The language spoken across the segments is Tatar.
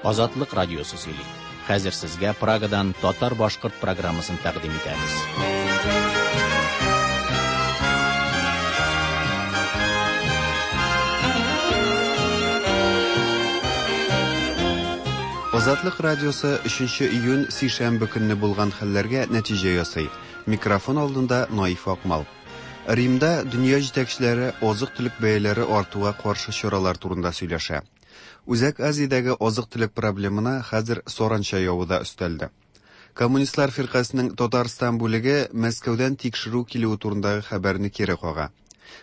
Азатлык радиосы сөйли. Хәзер сезгә Прагадан татар-башкорт программасын тәкъдим итәбез. Азатлык радиосы 3 июнь сишәмбе көнне булган хәлләргә нәтиҗә ясый. Микрофон алдында Наиф Акмал. Римда дөнья җитәкчеләре азык-төлек бәяләре артуга каршы чаралар турында сөйләшә. Үзәк Азиядәге азык-төлек проблемына хәзер саранча явы да өстәлде. Коммунистлар фиркасенең Татарстан бүлеге Мәскәүдән тикшерү килүе турындагы хәбәрне кире кага.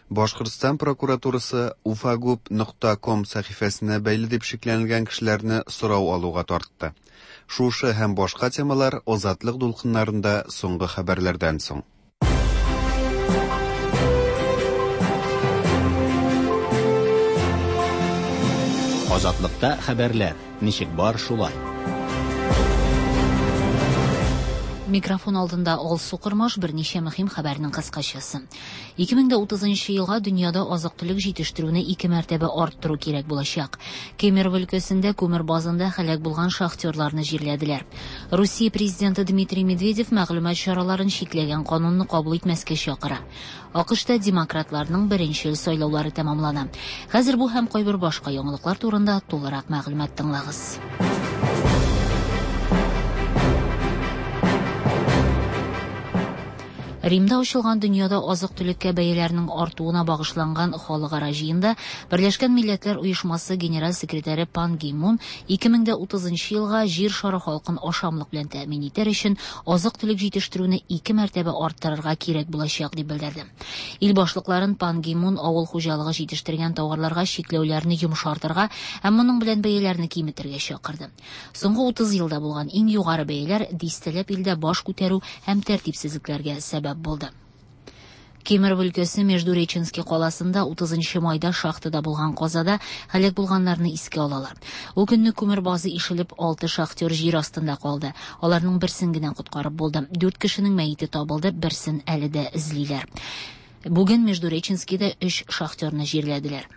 Башкортстан прокуратурасы уфагуб нокта ком сәхифәсенә бәйле дип шикләнелгән кешеләрне сорау алуга тартты. Шушы һәм башка темалар Азатлык дулкыннарында соңгы хәбәрләрдән соң. Азатлыкта хәбәрләр ничек бар шулай. Микрофон алдында Алсу Кормаш берничә мөһим хәбәрнең кыскачасы. 2030 елга дөньяда азык-төлек җитештерүне ике мәртәбә арттыру кирәк булачак. Кемерово өлкәсендә күмер базында һәлак булган шахтерларны җирләделәр. Русия президенты Дмитрий Медведев мәгълүмат чараларын чикләгән канунны кабул итмәскә чакыра. АКШта демократларның беренчел сайлаулары тәмамлана. Хәзер бу һәм кайбер башка яңалыклар турында тулырак мәгълүмат тыңлагыз. Римда ачылган дөньяда азык-төлеккә бәяләрнең артуына багышланган халыкара җыенда Берләшкән Милләтләр Оешмасы генераль секретаре Пан Ги Мун 2030 елга җир шары халкын ашамлык белән тәэмин итәр өчен азык-төлек җитештерүне ике мәртәбә арттырырга кирәк булачак дип белдерде. Ил башлыкларын Пан Ги Мун авыл хуҗалыгы җитештергән тауарларга чикләүләрне йомшартырга һәм моның белән бәяләрне киметергә чакырды. Соңгы 30 елда булган иң югары бәяләр дистәләп илдә баш күтәрү һәм тәртипсезлекләргә сәбәп булды. Кемерово өлкәсе Междуреченский каласында 30 майда шахтада булган казада һәлак булганнарны искә алалар. Ул көнне күмер базы ишелеп, 6 шахтер җир астында калды. Аларның берсен генә коткарып булды. 4 кешенең мәете табылды, берсен әле дә эзлиләр. Бүген Междуреченскийда 3 шахтерны җирләделәр.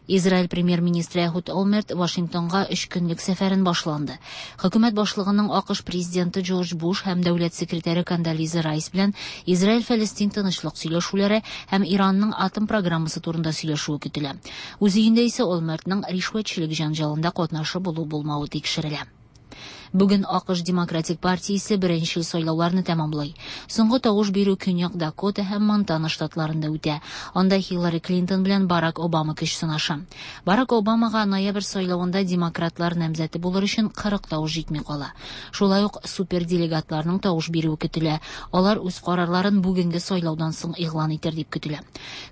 Израиль премьер-министры Эхуд Олмерт Вашингтонга 3 көнлек сәфәрен башланды. Хөкүмәт башлыгының АКШ президенты Джордж Буш һәм дәүләт секретаре Кондолиза Райс белән Израиль-Фәлестин тынычлык сөйләшүләре һәм Иранның атом программасы турында сөйләшүе көтелә. Үз өендә исә Олмертның ришвәтчелек җанҗалында катнашы булу-булмавы тикшерелә. Бүген АКШ Демократик партиясе беренчел сайлауларны тәмамлый. Соңгы тавыш бирү Көньяк Дакота һәм Монтана штатларында үтә. Анда Хиллари Клинтон белән Барак Обама көч сынаша. Барак Обамага ноябрь сайлавында демократлар намзәте булыр өчен 40 тавыш җитми кала. Шулай ук суперделегатларның тавыш бирүе көтелә. Алар үз карарларын бүгенге сайлаудан соң игълан итер дип көтелә.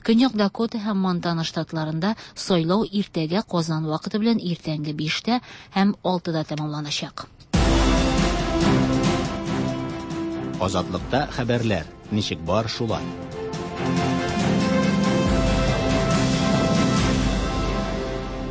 Көньяк Дакота һәм Монтана штатларында сайлау иртәгә Казан вакыты белән иртәнге 5-тә һәм 6-да тәмамланачак. Азатлыкта хәбәрләр ничек бар шулай.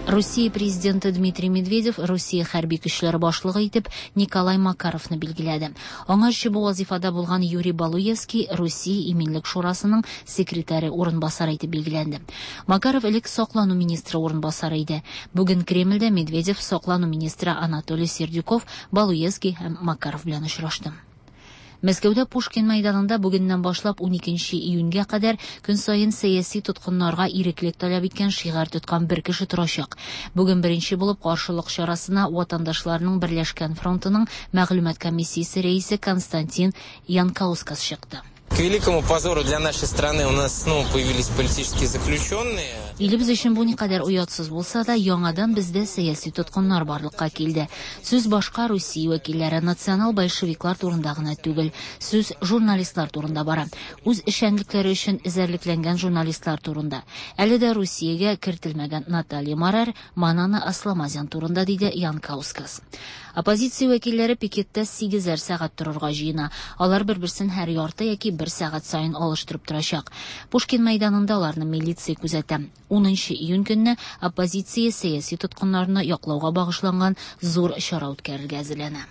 Русия президенты Дмитрий Медведев Русия хәрби көчләре башлыгы итеп Николай Макаровны билгеләде. Аңарчы бу вазифада булган Юрий Балуевский Русия иминлек шурасының секретаре урынбасары итеп билгеләнде. Макаров элек саклану министры урынбасары иде. Бүген Кремльдә Медведев саклану министры Анатолий Сердюков, Балуевский һәм Макаров белән очрашты. Мәскәүдә Пушкин мәйданында бүгеннән башлап 12 июньгә кадәр көн саен сәяси тоткыннарга иреклек таләп иткән шигарь тоткан бер кеше торачак. Бүген беренче булып каршылык чарасына ватандашларның Берләшкән фронтының мәгълүмат комиссиясе рәисе Константин Янкаускас чыкты. К великому позору для нашей страны у нас снова появились политические заключенные. Илебез өчен бу никадәр оятсыз булса да, яңадан бездә сәяси тоткыннар барлыкка килде. Сүз башка Русия вәкилләре, национал большевиклар турында гына түгел, сүз журналистлар турында бара. Үз эшчәнлекләре өчен эзәрлекләнгән журналистлар турында. Әле дә Русиягә кертелмәгән Наталья Марер, Манана Асламазян турында, диде Янкаускас. Оппозиция вәкилләре пикетта 8 сәгать торырга җыена. Алар бер-берсен һәр ярты яки бер сәгать саен алыштырып торачак. Пушкин мәйданында аларны милиция күзәтә. 10 июнь көнне оппозиция сәяси тоткыннарны яклауга багышланган зур чара үткәрергә әзерләнә.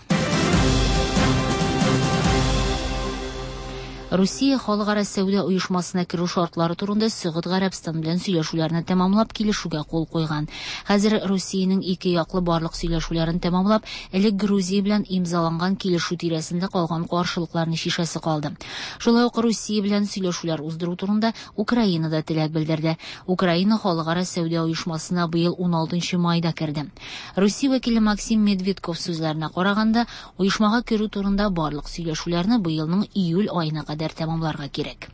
Русия Халыкара сәүдә оешмасына керү шартлары турында Сөгуд Гарәбстан белән сөйләшүләрне тәмамлап килешүгә кул куйган. Хәзер Русиянең ике яклы барлык сөйләшүләрен тәмамлап, элек Грузия белән имзаланган килешү тирәсендә калган каршылыкларны чишәсе калды. Шулай ук Русия белән сөйләшүләр уздыру турында Украина да теләк белдерде. Украина Халыкара сәүдә оешмасына быел 16 майда керде. Русия вәкиле Максим Медведков сүзләренә караганда, оешмага керү турында барлык сөйләшүләрне быелның июль аена кадәр тәмамларга кирәк.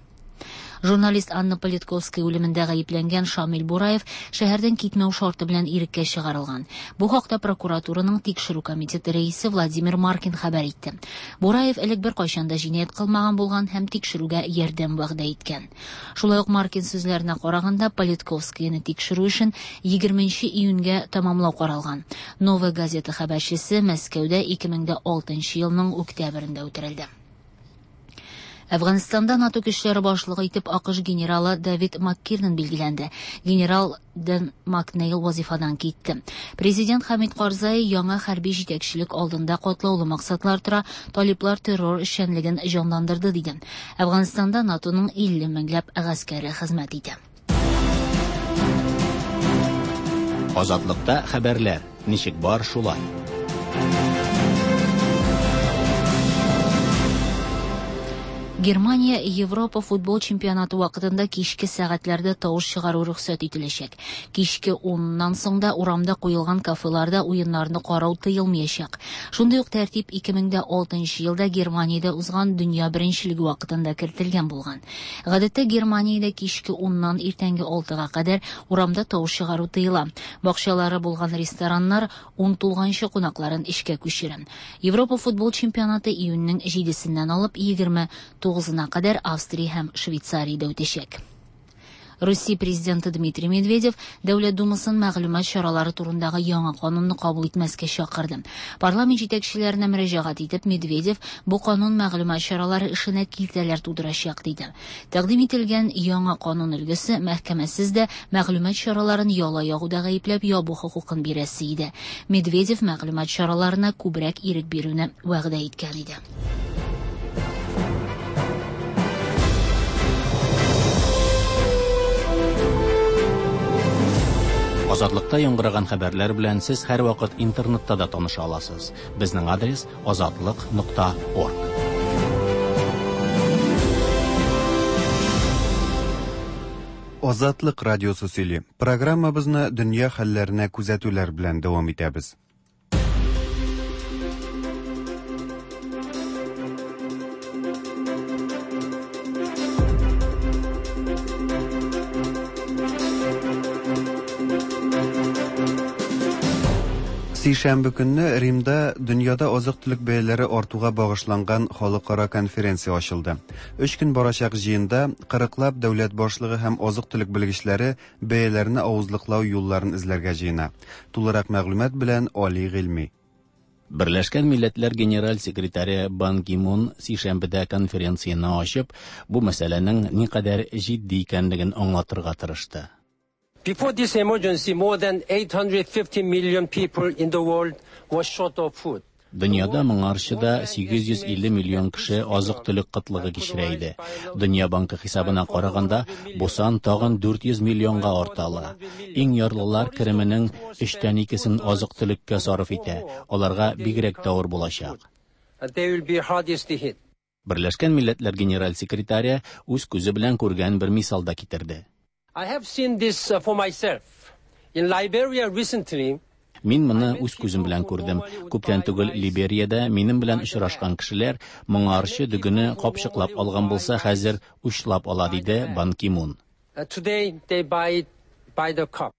Журналист Анна Политковская үлемендә гаепләнгән Шамил Бураев шәһәрдән китмәү шарты белән иреккә чыгарылган. Бу хакта прокуратураның тикшерү комитеты рәисе Владимир Маркин хәбәр итте. Бураев элек беркайчан да җинаять кылмаган булган һәм тикшерүгә ярдәм вәгъдә иткән. Шулай ук Маркин сүзләренә караганда, Политковскаяны тикшерү эшен 20 июньгә тәмамлау каралган. Новая газета хәбәрчесе Мәскәүдә 2006 елның октябрендә үтерелде. Әфганстанда НАТО көчләре башлыгы итеп АКШ генералы Давид Маккирнан билгеләнде. Генерал Дэн Макнейл вазифадан китте. Президент Хамид Карзай яңа хәрби җитәкчелек алдында катлаулы максатлар тора, талиплар террор эшчәнлеген җанландырды диде. Әфганстанда НАТОның 50 меңләп гаскәре хезмәт итә. Азатлыкта хәбәрләр ничек бар шулай. Германия Европа футбол чемпионаты вакытында кичке сәгатьләрдә тавыш чыгару рөхсәт ителәчәк. Кичке 10-нан соң да урамда куелган кафеларда уеннарны карау тыелмаячак. Шундый ук тәртип 2006 елда Германиядә узган дөнья беренчелеге вакытында кертелгән булган. Гадәттә Германиядә кичке 10-нан иртәнге 6-га кадәр урамда тавыш чыгару тыела. Бакчалары булган рестораннар 10 тулганчы кунакларын эшкә күчерә. Европа футбол чемпионаты июньнең 7-сеннән алып 29-на кадәр Австрия һәм Швейцариядә үтәчәк. Русия президенты Дмитрий Медведев Дәүләт Думасын мәгълүмат чаралары турындагы яңа канунны кабул итмәскә чакырды. Парламент җитәкчеләренә мөрәҗәгать итеп, Медведев бу канун мәгълүмат чаралары эшенә киртәләр тудырачак диде. Тәкъдим ителгән яңа канун өлгесе мәхкәмәсез дә мәгълүмат чараларын яла ягуда гаепләп ябу хокукын бирәсе иде. Медведев мәгълүмат чараларына күбрәк ирек бирүне вәгъдә иткән иде. Азатлыкта яңгыраган хәбәрләр белән сез һәрвакыт интернетта да таныша аласыз. Безнең адрес azatliq.org. Азатлык радиосы сөйли. Программабызны дөнья хәлләренә күзәтүләр белән дәвам итәбез. Сишәмбе көнне Римда дөньяда азык-төлек бәяләре артуга багышланган халыкара конференция ачылды. 3 көн барачак җыенда 40лап дәүләт башлыгы һәм азык-төлек белгечләре бәяләрне авызлыклау юлларын эзләргә җыена. Тулырак мәгълүмат белән Али Гыйльми. Берләшкән Милләтләр Генераль секретаре Бан Ги Мун сишәмбедә конференцияне ачып, бу мәсьәләнең никадәр җитди икәнлеген аңлатырга тырышты. Before this emergency, more than 850 million people in the world were short of food. Дөньяда моңарчы да 850 миллион кеше азык-төлек кытлыгы кичерә иде. Дөнья банкы хисабына караганда, бу сан тагын 400 миллионга арта ала. Иң ярлылар кеременең 2/3-сен азык-төлеккә сарыф итә. Аларга бигрәк тә авыр булачак. They will be hardest hit. Берләшкән Милләтләр Генераль секретаре үз күзе белән күргән бер мисал да китерде. I have seen this for myself. In Liberia recently, Мин моны үз күзем белән күрдем. Күптән түгел Либериядә минем белән очрашкан кешеләр моңарчы дөгене капчыклап алган булса, хәзер учлап ала, диде Бан Ки Мун. Today they buy it by the cup.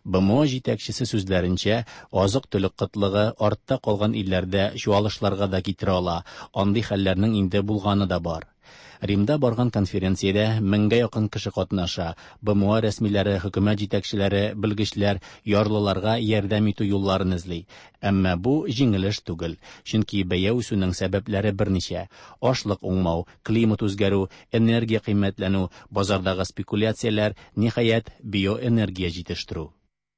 БМО җитәкчесе сүзләренчә, азык-төлек кытлыгы артта калган илләрдә чуалышларга да китерә ала. Андый хәлләрнең инде булганы да бар. Римда барган конференциядә меңгә якын кеше катнаша. БМО рәсмиләре, хөкүмәт җитәкчеләре, белгечләр ярлыларга ярдәм итү юлларын эзли. Әмма бу җиңел эш түгел, чөнки бәя үсүнең сәбәпләре берничә: ашлык уңмау, климат үзгәрү, энергия кыйммәтләнү, базардагы спекуляцияләр, ниһаять, биоэнергия җитештерү.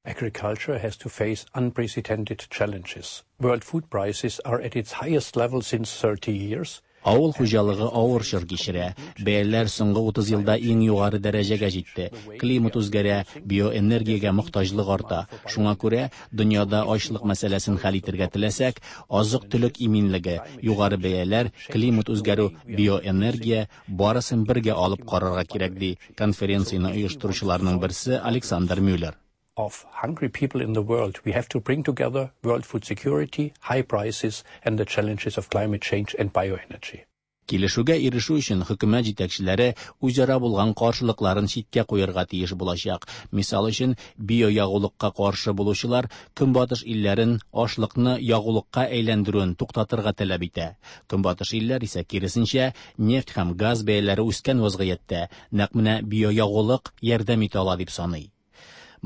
Agriculture has to face unprecedented challenges. World food prices are at its highest level since 30 years. Авыл хуҗалыгы авыр чор кичерә. Бәяләр соңгы 30 елда иң югары дәрәҗәгә җитте. Климат үзгәрә, биоэнергиягә мохтаҗлык арта. Шуңа күрә, дөньяда ачлык мәсьәләсен хәл итәргә теләсәк, азык-төлек иминлеге, югары бәяләр, климат үзгәрү, биоэнергия барысын бергә алып карарга кирәк, ди конференцияне оештыручыларның берсе Александр Мюллер. Of hungry people in the world, we have to bring together world food security, high prices and the challenges of climate change and bioenergy. Килешүгә ирешү өчен хөкүмәт җитәкчеләре үзара булган каршылыкларын читкә куярга тиеш булачак. Мисал өчен, биоягулыкка каршы булучылар Көнбатыш илләрен ашлыкны ягулыкка әйләндерүен туктатырга таләп итә. Көнбатыш илләр исә киресенчә, нефть һәм газ бәяләре үскән вазгыятьтә нәкъ менә биоягулык ярдәм итә ала дип саный.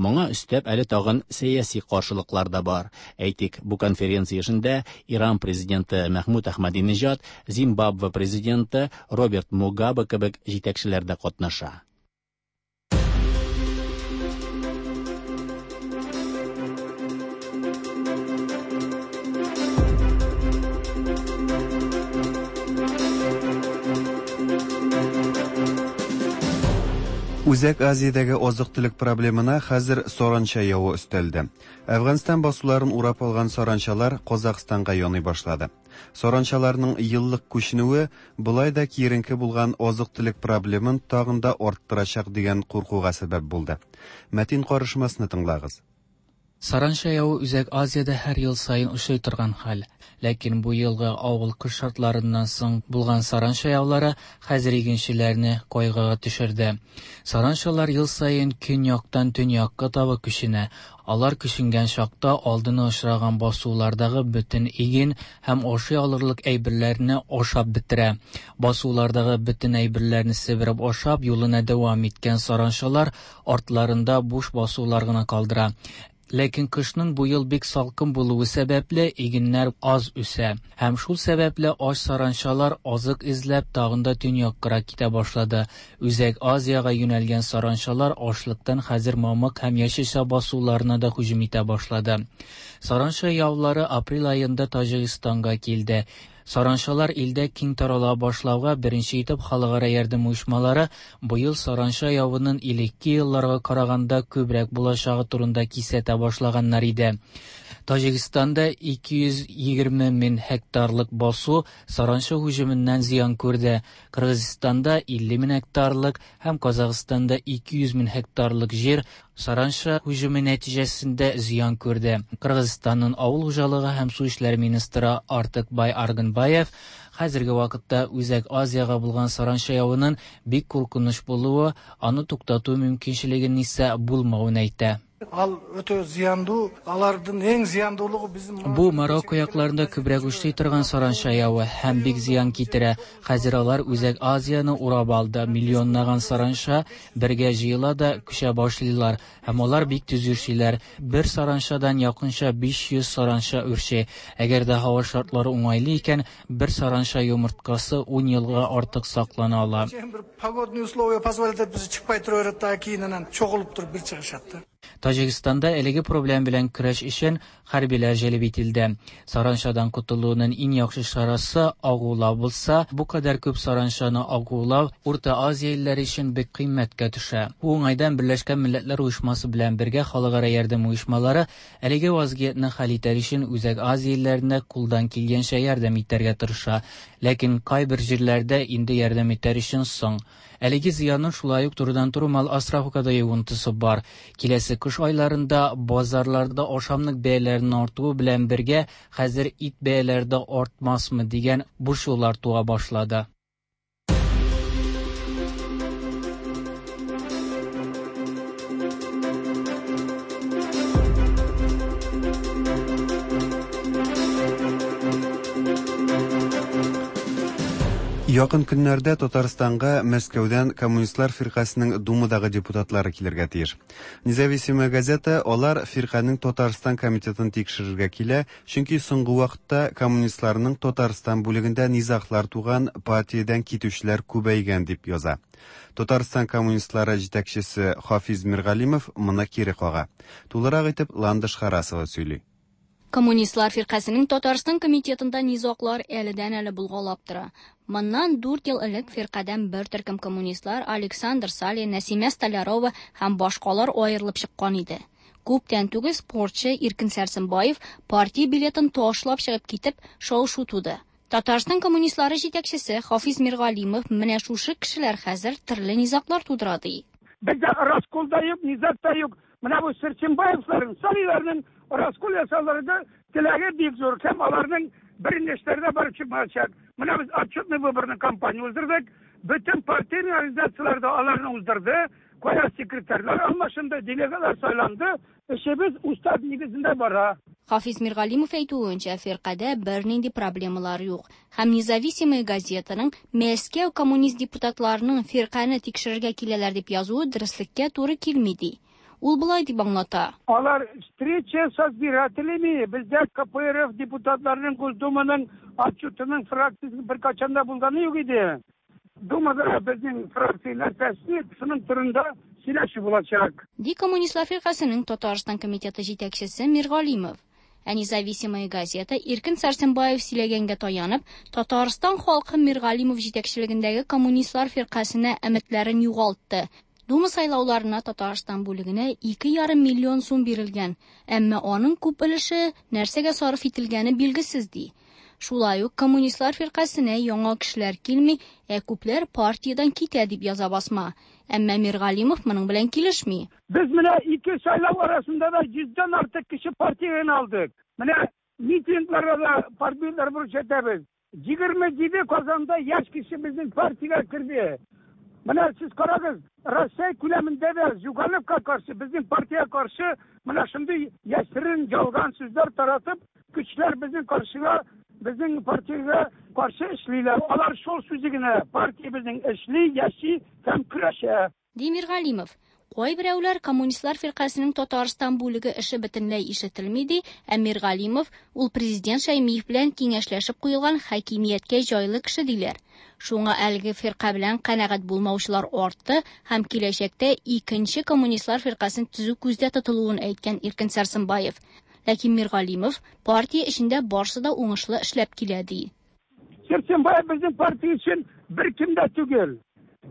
Моңа өстәп әле тагын сәяси каршылыклар да бар. Әйтик, бу конференция эшендә Иран президенты Мәхмүд Әхмәдинежад, Зимбабве президенты Роберт Мугабе кебек җитәкчеләр дә катнаша. Үзәк Азиядәге азык-төлек проблемына хәзер саранча явы өстәлде. Әфганстан басуларын урап алган саранчалар Казахстанга яный башлады. Саранчаларның еллык күченүе болай да киеренке булган азык-төлек проблемын тагын да арттырачак дигән куркуга сәбәп булды. Мәтин карышмасны тыңлагыз. Саранча явы Үзәк Азиядә һәр ел саен очрый торган хәл. Ләкин бу елгы авыл кыш шартларыннан соң булган саранча яулары хәзер игенчеләрне кайгыга төшерде. Саранчалар ел саен көньяктан төньякка таба күченә. Алар күченгән чакта алдына очраган басулардагы бөтен иген һәм ашый алырлык әйберләрне ашап бетерә. Басулардагы бөтен әйберләрне себереп ашап, юлына дәвам иткән саранчалар артларында буш басулар гына калдыра. Ләкин кышның бу ел бик салкын булуы сәбәпле игеннәр аз үсә. Һәм шул сәбәпле ач саранчалар азык эзләп тагын да төньяккарак китә башлады. Үзәк Азиягә юнәлгән саранчалар ашлыктан хәзер мамык һәм яшелчә басуларына да һөҗүм итә башлады. Саранча яулары апрель аенда Таҗикстанга килде. Саранчалар илдә киң тарала башлауга беренче итеп халыкара ярдәм оешмалары быел саранча явының элекке елларга караганда күбрәк булачагы турында кисәтә башлаганнар иде. Таҗикстанда 220 мең гектарлык басу саранча һөҗүменнән зыян күрде. Кыргызстанда 50 мең гектарлык һәм Казахстанда 200 мең гектарлык җир саранча һөҗүме нәтиҗәсендә зыян күрде. Кыргызстанның авыл хуҗалыгы һәм су эшләре министры Артыкбай Аргынбаев хәзерге вакытта Үзәк Азиягә булган саранча явының бик куркыныч булуы, аны туктату мөмкинчелегенең исә булмавын әйтә. Ал өтө зыяндуу, алардын эң зыяндуулугу биздин Бу Марокко якларында күбрәк очрый торган саранча явы һәм бик зыян китерә. Хәзер алар Үзәк Азияне урап алды. Миллионлаган саранча бергә җыела да күчә башлыйлар һәм алар бик тиз үрчиләр. Бер саранчадан якынча 500 саранча үрчи. Әгәр дә һава шартлары уңайлы икән, бер саранча йомырткасы 10 елга артык саклана ала. Бир погодный условия позволит этпесе чыкпай тура берет да, кийин анан чогулуп туруп бир чыгышат да. Таҗикстанда әлеге проблем белән көрәш өчен хәрбиләр җәлеп ителде. Саранчадан котылуның иң яхшы чарасы агулау булса, бу кадәр күп саранчаны агулау Урта Азия илләре өчен бик кыйммәткә төшә. Бу уңайдан Берләшкән Милләтләр Оешмасы белән бергә халыкара ярдәм оешмалары әлеге вазгыятьне хәл итәр өчен Үзәк Азия илләренә кулдан килгәнчә ярдәм итәргә тырыша. Ләкин кайбер җирләрдә инде ярдәм итәр өчен соң. Әлеге зыянның шулай ук турыдан-туры мал асрауга да йогынтысы бар. Киләсе кыш айларында базарларда ашамлык бәяләренең артуы белән бергә хәзер ит бәяләре дә артмасмы дигән борчулар туа башлады. Якын көннәрдә Татарстанга Мәскәүдән Коммунистлар фиркасының Думадагы депутатлары килергә тиеш. Независимая газета алар фирканең Татарстан комитетын тикшерергә килә, чөнки соңгы вакытта коммунистларның Татарстан бүлегендә низаглар туган, партиядән китүчеләр күбәйгән дип яза. Татарстан коммунистлары җитәкчесе Хафиз Миргалимов моны кире кага. Тулырак итеп Ландыш Харасова сөйли. Коммунистлар фиркасенең Татарстан комитетында низаглар әледән-әле булгалап тора. Моннан 4 ел элек фиркадән бер төркем коммунистлар Александр Салин, Нәсимә Столярова һәм башкалар аерылып чыккан иде. Күптән түгел спортчы Иркен Сәрсенбаев партия билетын ташлап чыгып китеп, шау-шу туды. Татарстан коммунистлары җитәкчесе Хафиз Миргалимов менә шушы кешеләр хәзер төрле низаглар тудыра ди. Бездә раскол да юк, низаг та юк. Менә бу Сәрсенбаевларның, Салиларның раскол ясаулары теләге бик зур һәм аларның берничәләре дә барып чыкмаячак. Менә без отчетный выборный кампания уздырдык. Бөтен партийный организацияләр дә аларны уздырды. Кая секретарьлар алмашынды, делегатлар сайланды. Эшебез устав нигезендә бара. Хафиз Миргалимов әйтүенчә, фиркадә бернинди проблемалар юк. Һәм Независимая газетаның Мәскәү коммунист депутатларының фиркане тикшерергә киләләр дип язуы дөреслеккә туры килми ди. Ул болай дип аңлата. Алар встреча с избирателями, бездә КПРФ депутатларының Госдуманың отчетының фракциясе беркайчан да булганы юк иде. Думада безнең фракция нәрсәсе, шуның турында сөйләшү булачак. Ди Коммунистлар фиркасының Татарстан комитеты җитәкчесе Миргалимов. Ә Независимая газета Иркен Сәрсенбаев сөйләгәнгә таянып, Татарстан халкы Миргалимов җитәкчелегендәге Коммунистлар фиркасына өметләрен югалтты. Дума сайлауларына Татарстан бүлегенә 2,5 миллион сум бирелгән, әмма аның күп өлеше нәрсәгә сарыф ителгәне билгесез ди. Шулай ук Коммунистлар фиркасенә яңа кешеләр килми, ә күпләр партиядән китә дип яза басма. Әмма Миргалимов моның белән килешми. Без менә ике сайлау арасында да 100дән артык кеше партиядән алдык. Менә митингларда да партияләр күрсәтәбез. 27 Казанда яшь кеше безнең партиягә керде. Менә сез карагыз, Россия күләмендә дә Зюгановка каршы, безнең партиягә каршы менә шундый яшерен ялган сүзләр таратып, көчләр безнең каршыга, безнең партиягә каршы эшлиләр. Алар шул сүзе генә, партия безнең эшли, яши һәм көрәшә. Ди Миргалимов. Кайберәүләр Коммунистлар фиркасының Татарстан бүлеге эше бөтенләй ишетелми ди, ә Миргалимов ул президент Шәймиев белән киңәшләшеп куелган хакимияткә җайлы кеше диләр. Шуңа әлеге фирка белән канәгать булмаучылар артты һәм киләчәктә икенче Коммунистлар фиркасын төзү күздә тотылуын әйткән Иркен Сәрсенбаев. Ләкин Миргалимов партия эчендә барсы да уңышлы эшләп килә ди. Сәрсенбаев безнең партия өчен беркем дә түгел.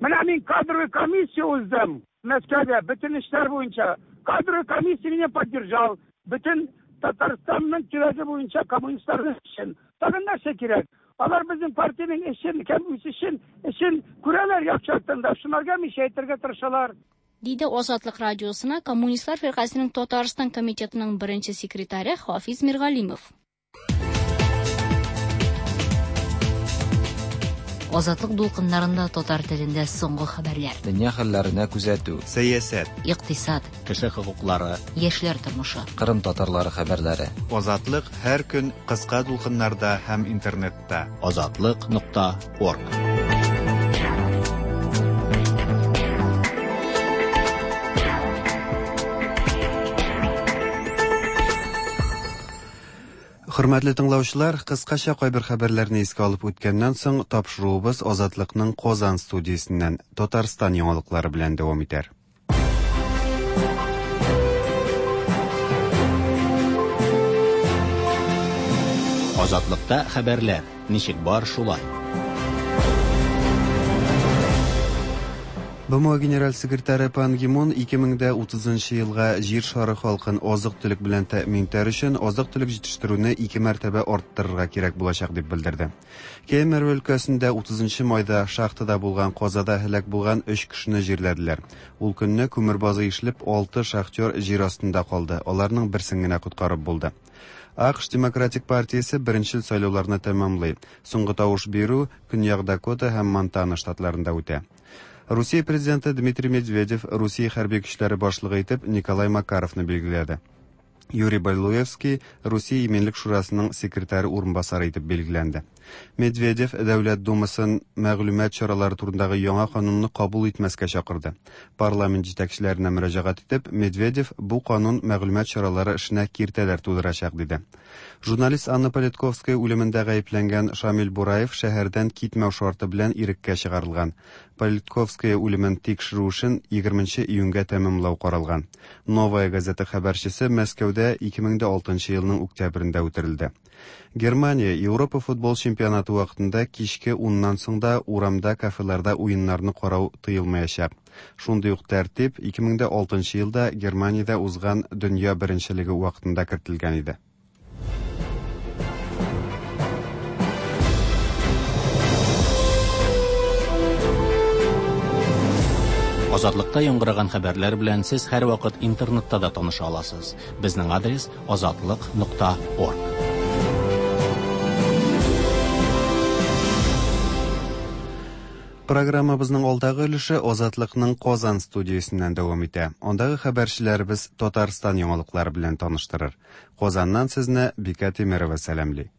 Менә мин кадровый комиссия уздым Мәскәүдә, бөтен эшләр буенча. Кадровый комиссия меня поддержал. Бөтен Татарстанның төбәге буенча коммунистларның эшен. Тагын нәрсә кирәк? Алар безнең партиянең эшен һәм үсешен, эшен күрәләр яхшы яктан да. Шунарга мишә әйтергә тырышалар. Диде Азатлык радиосына Коммунистлар фиркасының Татарстан комитетының беренче секретаре Хафиз Миргалимов. Азатлык дулкыннарында татар телендә соңгы хәбәрләр. Дөнья хәлләренә күзәтү. Сәясәт. Икътисад. Кеше хокуклары. Яшьләр тормышы. Кырым татарлары хәбәрләре. Азатлык һәр көн кыска дулкыннарда һәм интернетта. Азатлык.орг. Хөрмәтле тыңлаучылар, кыскача кайбер хәбәрләрне искә алып үткәннән соң, тапшыруыбыз Азатлыкның Казан студиясеннән Татарстан яңалыклары белән дәвам итәр. Азатлыкта хәбәрләр ничек бар шулай. БМО генераль секретаре Пан Ги Мун 2030 елга Җир шары халкын азык-төлек белән тәэмин итәр өчен азык-төлек җитештерүне ике мәртәбә арттырырга кирәк булачак дип белдерде. Кемерово өлкәсендә 30 майда шахтада булган казада һәлак булган 3 кешене җирләделәр. Ул көнне күмер базы ишелеп 6 шахтер җир астында калды. Аларның берсен генә коткарып булды. АКШ Демократик партиясе беренчел сайлауларны тәмамлый. Соңгы тавыш бирү Көньяк Дакота һәм Монтана штатларында үтә. Русия президенты Дмитрий Медведев Русия хәрби көчләре башлыгы итеп Николай Макаровны билгеләде. Юрий Балуевский Русия Иминлек шурасының секретаре урынбасары итеп билгеләнде. Медведев Дәүләт Думасын мәгълүмат чаралары турындагы яңа канунны кабул итмәскә чакырды. Парламент җитәкчеләренә мөрәҗәгать итеп, Медведев бу канун мәгълүмат чаралары эшенә киртәләр тудырачак диде. Журналист Анна Политковская үлемендә гаепләнгән Шамил Бураев шәһәрдән китмәү шарты белән иреккә чыгарылган. Политковская үлемен тикшерү эшен 20 июньгә тәмамлау каралган. Новая газета хәбәрчесе Мәскәүдә 2006 елның октябрендә үтерелде. Германия Европа футбол чемпионаты вакытында кичке уннан соң да урамда, кафеларда уеннарны карау тыелмаячак. Шундый ук тәртип 2006 елда Германиядә узган дөнья беренчелеге вакытында кертелгән иде. Азатлыкта яңгыраган хәбәрләр белән сез һәрвакыт интернетта да таныша аласыз. Безнең адрес азатлык.орг. Программабызның алдагы өлеше Азатлыкның Казан студиясеннән дәвам итә. Андагы хәбәрчеләребез Татарстан яңалыклары белән таныштырыр. Казаннан сезне Бикә Тимерова сәламли.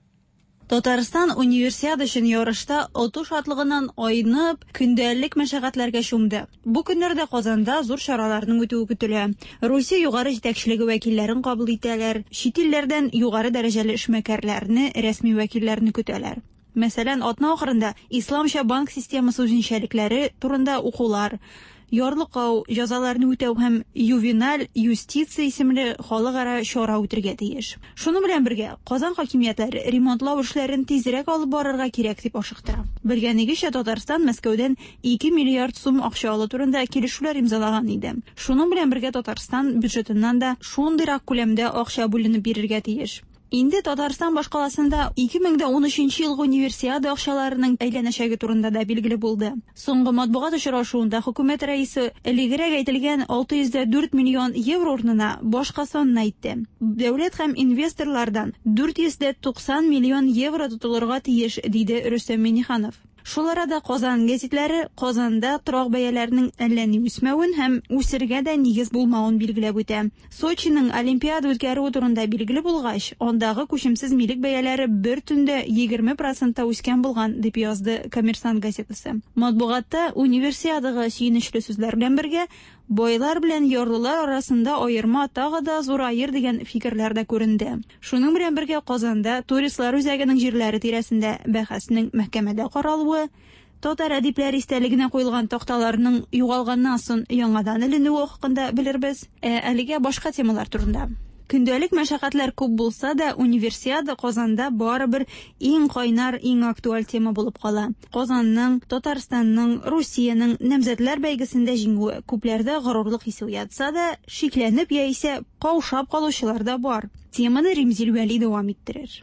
Татарстан Универсиада өчен ярышта оту шатлыгыннан айнып, көндәлек мәшәкатьләргә чумды. Бу көннәрдә Казанда зур чараларның үтүе көтелә. Русия югары җитәкчелеге вәкилләрен кабул итәләр, чит илләрдән югары дәрәҗәле эшмәкәрләрне, рәсми вәкилләрне көтәләр. Мәсәлән, атна ахырында исламча банк системасы үзенчәлекләре турында укулар, ярлыкау, җәзаларны үтәү һәм ювеналь юстиция исемле халыкара чара үтергә тиеш. Шуның белән бергә, Казан хакимиятләре ремонтлау эшләрен тизрәк алып барырга кирәк дип ашыктыра. Белгәнегезчә, Татарстан Мәскәүдән 2 миллиард сум акча алу турында килешүләр имзалаган иде. Шуның белән бергә Татарстан бюджетыннан да шундыйрак күләмдә акча бүленеп бирергә тиеш. Инде Татарстан башкаласында 2013 елгы Универсиада акчаларының әйләнәчәге турында да билгеле булды. Соңгы матбугат очрашуында хөкүмәт рәисе элегрәк әйтелгән 604 миллион евро урынына башка санны әйтте. Дәүләт һәм инвесторлардан 490 миллион евро тотылырга тиеш, диде Рөстәм Миңнеханов. Шул арада Казан гәзитләре Казанда торак бәяләренең әллә ни үсмәвен һәм үсергә дә нигез булмавын билгеләп үтә. Сочиның Олимпиада үткәрүе турында билгеле булгач, андагы күчемсез милек бәяләре бер төндә 20 процентта үскән булган, дип язды Коммерсант газетасы. Матбугатта Универсиадага сөенечле сүзләр белән бергә байлар белән ярлылар арасында аерма тагы да зураер дигән фикерләр дә күренде. Шуның белән бергә Казанда туристлар үзәгенең җирләре тирәсендә бәхәснең мәхкәмәдә каралуы, татар әдипләре истәлегенә куелган такталарның югалганнан соң яңадан эленүе хакында белербез. Ә әлегә башка темалар турында. Көндәлек мәшәкатьләр күп булса да, Универсиада Казанда барыбер иң кайнар, иң актуаль тема булып кала. Казанның, Татарстанның, Русиянең намзәтләр бәйгесендә җиңүе күпләрдә горурлык хисе уятса да, шикләнеп яисә каушап калучылар да бар. Теманы Римзил Вәли дәвам иттерер.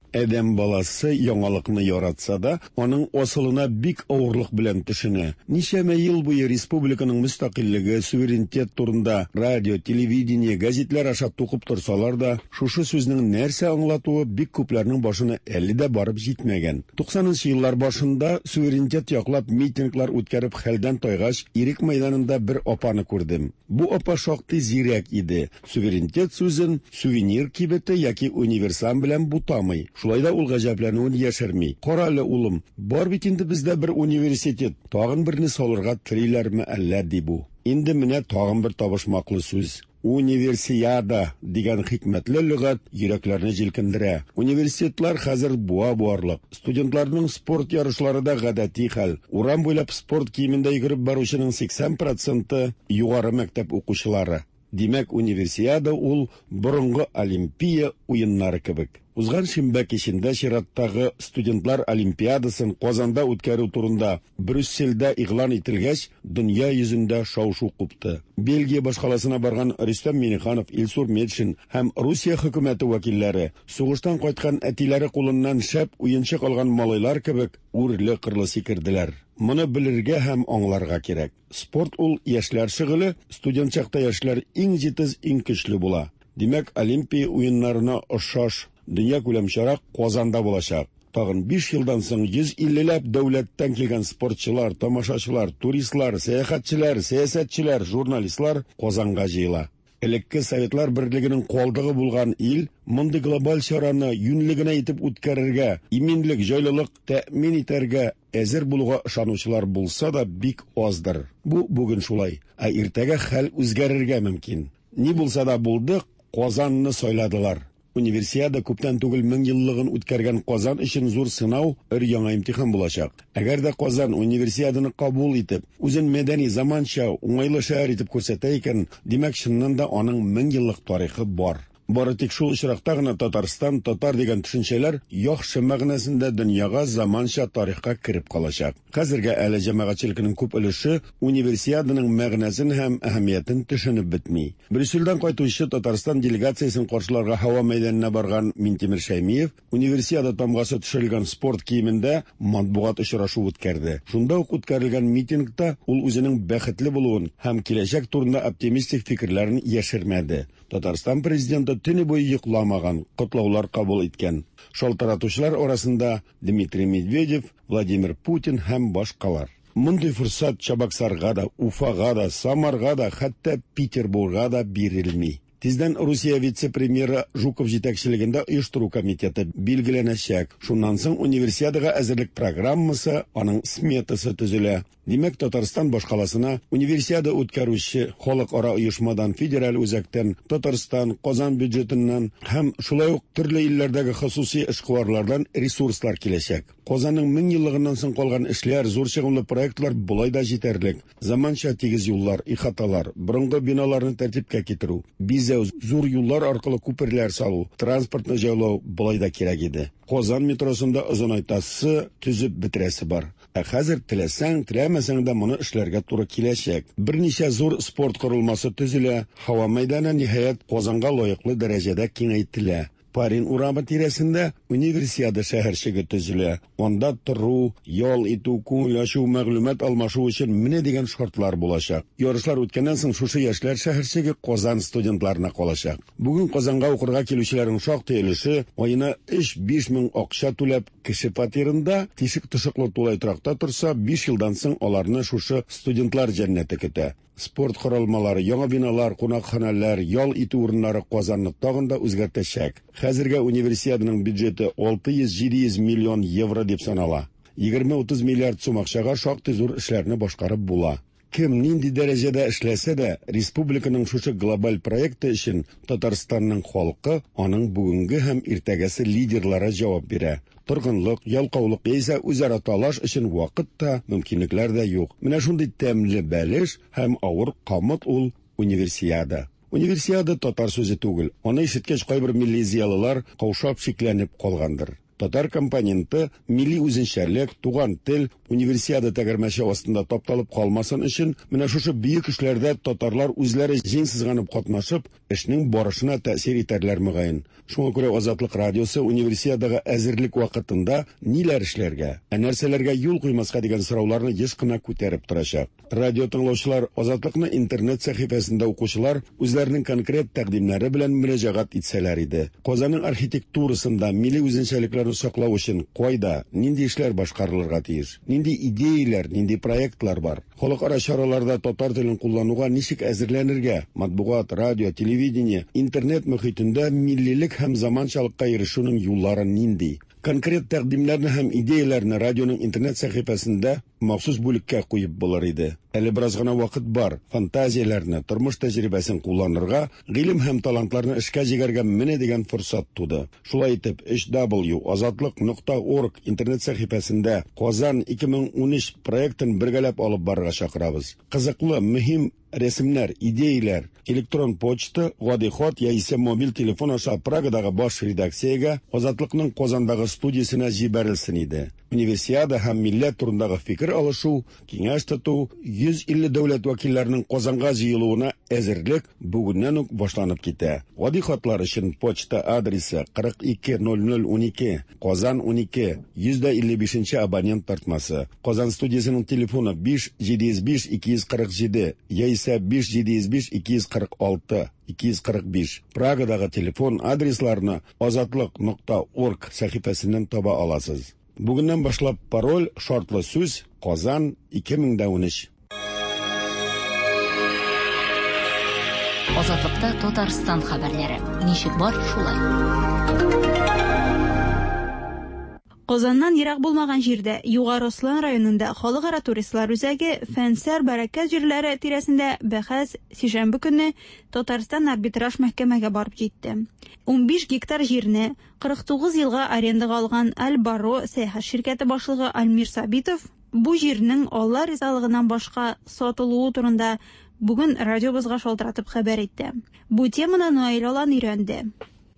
Адәм баласы яңалыкны яратса да, аның асылына бик авырлык белән төшенә. Ничәмә ел буе республиканың мөстәкыйльлеге, суверенитет турында радио, телевидение, гәзитләр аша тукып торсалар да, шушы сүзнең нәрсә аңлатуы бик күпләрнең башына әле дә барып җитмәгән. 90 еллар башында суверенитет яклап митинглар үткәреп хәлдән тайгач, Ирек мәйданында бер апаны күрдем. Бу апа шактый зирәк иде. Суверенитет сүзен сувенир кибете яки универсам белән бутамый. Шулай да ул гаҗәпләнүен яшерми. Кара әле, улым, бар бит инде бездә бер университет, тагын берне салырга телиләрме әллә, ди бу. Инде менә тагын бер табышмаклы сүз. Универсиада дигән хикмәтле лөгать йөрәкләрне җилкендерә. Университетлар хәзер буа буарлык. Студентларның спорт ярышлары да гадәти хәл. Урам буйлап спорт киемендә йөгереп баручының 80 проценты югары мәктәп укучылары. Димәк, универсиада ул борынгы Олимпия уеннары кебек. Узган шимбә кичендә чираттагы студентлар олимпиадасын Казанда үткәрү турында Брюссельдә игълан ителгәч, дөнья йөзендә шау-шу купты. Бельгия башкаласына барган Рөстәм Миңнеханов, Илсур Метшин һәм Русия хөкүмәте вәкилләре сугыштан кайткан әтиләре кулыннан шәп уенчык алган малайлар кебек үрле-кырлы сикерделәр. Моны белергә һәм аңларга кирәк. Спорт ул яшьләр шөгыле, студент чакта яшьләр иң җитез, иң көчле була. Димәк, Олимпия уеннарына охшаш дөньякүләм чара Казанда булачак. Тагын 5 елдан соң 150ләп дәүләттән килгән спортчылар, тамашачылар, туристлар, сәяхәтчеләр, сәясәтчеләр, журналистлар Казанга җыела. Элекке Советлар Берлегенең калдыгы булган ил мондый глобаль чараны юньле генә итеп үткәрергә, иминлек, җайлылык тәэмин итәргә әзер булуга ышанучылар булса да бик аздыр. Бу бүген шулай, ә иртәгә хәл үзгәрергә мөмкин. Ни булса да булды, Казанны сайладылар. Универсиада күптән түгел 1000 еллыгын үткәргән Казан өчен зур сынау, өр-яңа имтихан булачак. Әгәр дә Казан Универсиаданы кабул итеп, үзен мәдәни, заманча, уңайлы шәһәр итеп күрсәтә икән, димәк, чыннан да аның 1000 еллык тарихы бар. Бары тик шул очракта гына Татарстан, татар дигән төшенчәләр яхшы мәгънәсендә дөньяга, заманча тарихка кереп калачак. Хәзергә әле җәмәгатьчелекнең күп өлеше Универсиаданың мәгънәсен һәм әһәмиятен төшенеп бетми. Брюссельдән кайтучы Татарстан делегациясен каршыларга һава мәйданына барган Минтимер Шәймиев Универсиада тамгасы төшерелгән спорт киемендә матбугат очрашуы үткәрде. Шунда ук үткәрелгән митингта ул үзенең бәхетле булуын һәм киләчәк турында оптимистик фикерләрен яшермәде. Татарстан Президенты төне буе йокламаган, котлаулар кабул иткән. Шалтыратучылар арасында Дмитрий Медведев, Владимир Путин һәм башкалар. Мондый форсат Чабаксарга да, Уфага да, Самарга да, хәтта Петербурга да бирелми. Тиздән Русия вице-премьеры Жуков җитәкчелегендә оештыру комитеты билгеләнәчәк. Шуннан соң Универсиадага әзерлек программасы, аның сметасы төзелә. Димәк, Татарстан башкаласына Универсиада үткәрүче халыкара оешмадан, федераль үзәктән, Татарстан, Казан бюджетыннан һәм шулай ук төрле илләрдәге хосусый эшкуарлардан ресурслар киләчәк. Казанның 1000 еллыгыннан соң калган эшләр, зур чыгымлы проектлар болай да җитәрлек. Заманча тигез юллар, ихаталар, борынгы биналарны тәртипкә китерү, бизәү, зур юллар аркылы күперләр салу, транспортны җайлау болай да кирәк иде. Казан метросын да озынайтасы, төзеп бетерәсе бар. Ә хәзер теләсәң, теләмәсәң дә моны эшләргә туры киләчәк. Берничә зур спорт корылмасы төзелә, һава мәйданы, ниһаять, Казанга лаеклы дәрәҗәдә киңәйтелә. Парин урамы тирәсендә Универсиада шәһәрчеге төзелә. Анда тору, ял итү, күңел ачу, мәгълүмат алмашу өчен менә дигән шартлар булачак. Ярышлар үткәннән соң шушы яшьләр шәһәрчеге Казан студентларына калачак. Бүген Казанга укырга килүчеләрнең шактый өлеше аена 3-5 мең акча түләп кеше фатирында, тишек-тошыклы тулай торакта торса, 5 елдан соң аларны шушы студентлар җәннәте көтә. Спорт корылмалары, яңа биналар, кунакханәләр, ял итү урыннары Казанны тагын да үзгәртәчәк. Хәзергә Универсиаданың бюджеты 600-700 миллион евро дип санала. 20-30 миллиард сум акчага шактый зур эшләрне башкарып була. Кем нинди дәрәҗәдә эшләсә дә, республиканың шушы глобаль проекты өчен Татарстанның халкы, аның бүгенге һәм иртәгәсе лидерлары җавап бирә. Торгынлык, ялкаулык яисә үзара талаш өчен вакыт та, мөмкинлекләр дә юк. Менә шундый тәмле бәлеш һәм авыр камыт ул Универсиада. Универсиада татар сүзе түгел. Аны ишеткәч кайбер милли зыялылар каушап шикләнеп калгандыр. Татар компоненты, милли үзенчәлек, туган тел Универсиада тәгәрмәче астында тапталып калмасын өчен, менә шушы бөек эшләрдә татарлар үзләре җиң сызганып катнашып, эшнең барышына тәэсир итәрләр мөгаен. Шуңа күрә Азатлык радиосы Универсиадага әзерлек вакытында ниләр эшләргә, ә нәрсәләргә юл куймаска дигән сорауларны еш кына күтәреп торачак. Радио тыңлаучылар, Азатлыкны интернет сәхифәсендә укучылар үзләренең конкрет тәкъдимнәре белән мөрәҗәгать итсәләр иде. Казанның архитектурасында милли үзенчәлекләрне саклау өчен кайда, нинди эшләр башкарылырга тиеш? Нинди идеяләр, нинди проектлар бар? Халыкара чараларда татар телен куллануга ничек әзерләнергә? Матбугат, радио, телевидение, интернет мөхитендә миллилек һәм заманчалыкка ирешүнең юллары нинди? Конкрет тәкъдимнәрне һәм идеяләрне радионың интернет сәхифәсендә махсус бүлеккә куеп булыр иде. Әле бераз гына вакыт бар, фантазияләрне, тормыш тәҗрибәсен кулланырга, гыйлем һәм талантларны эшкә җигәргә менә дигән форсат туды. Шулай итеп, 3w азатлык нокта орг интернет сәхифәсендә Казан 2013 проектын бергәләп алып барырга чакырабыз. Кызыклы, мөһим рәсемнәр, идеяләр, электрон почта, гади хат яисә мобиль телефон аша Прагадагы баш редакциягә, Азатлыкның Казандагы студиясенә җибәрелсен иде. Универсиада һәм милләт турындагы фикер алышу, киңәш тоту, 150 дәүләт вәкилләренең Казанга җыелуына әзерлек бүгеннән үк башланып китә. Гади хатлар өчен почта адресы 42 00 12, Казан 12, 155 нче абонент тартмасы. Казан студиясенең телефоны 5 705 247 яисә 5 705 246 245. Прагадагы телефон адресларны азатлык нокта орг сәхифәсеннән таба аласыз. Бүгеннән башлап пароль, шартлы сүз, Казан 2013. Азатлыкта Татарстан хәбәрләре. Ничек бар, шулай. Казаннан ерак булмаган җирдә, Югары Ослан районында Халыкара туристлар үзәге Фәнсәр Бәрәкәт җирләре тирәсендә бәхәс сишәмбе көнне Татарстан арбитраж мәхкәмәгә барып җитте. 15 гектар җирне 49 елга арендага алган Аль-Баро сәяхәт ширкәте башлыгы Альмир Сабитов бу җирнең Алла ризалыгыннан башка сатылуы турында бүген радиобызга шалтыратып хәбәр итте. Бу теманы Наил Алан өйрәнде.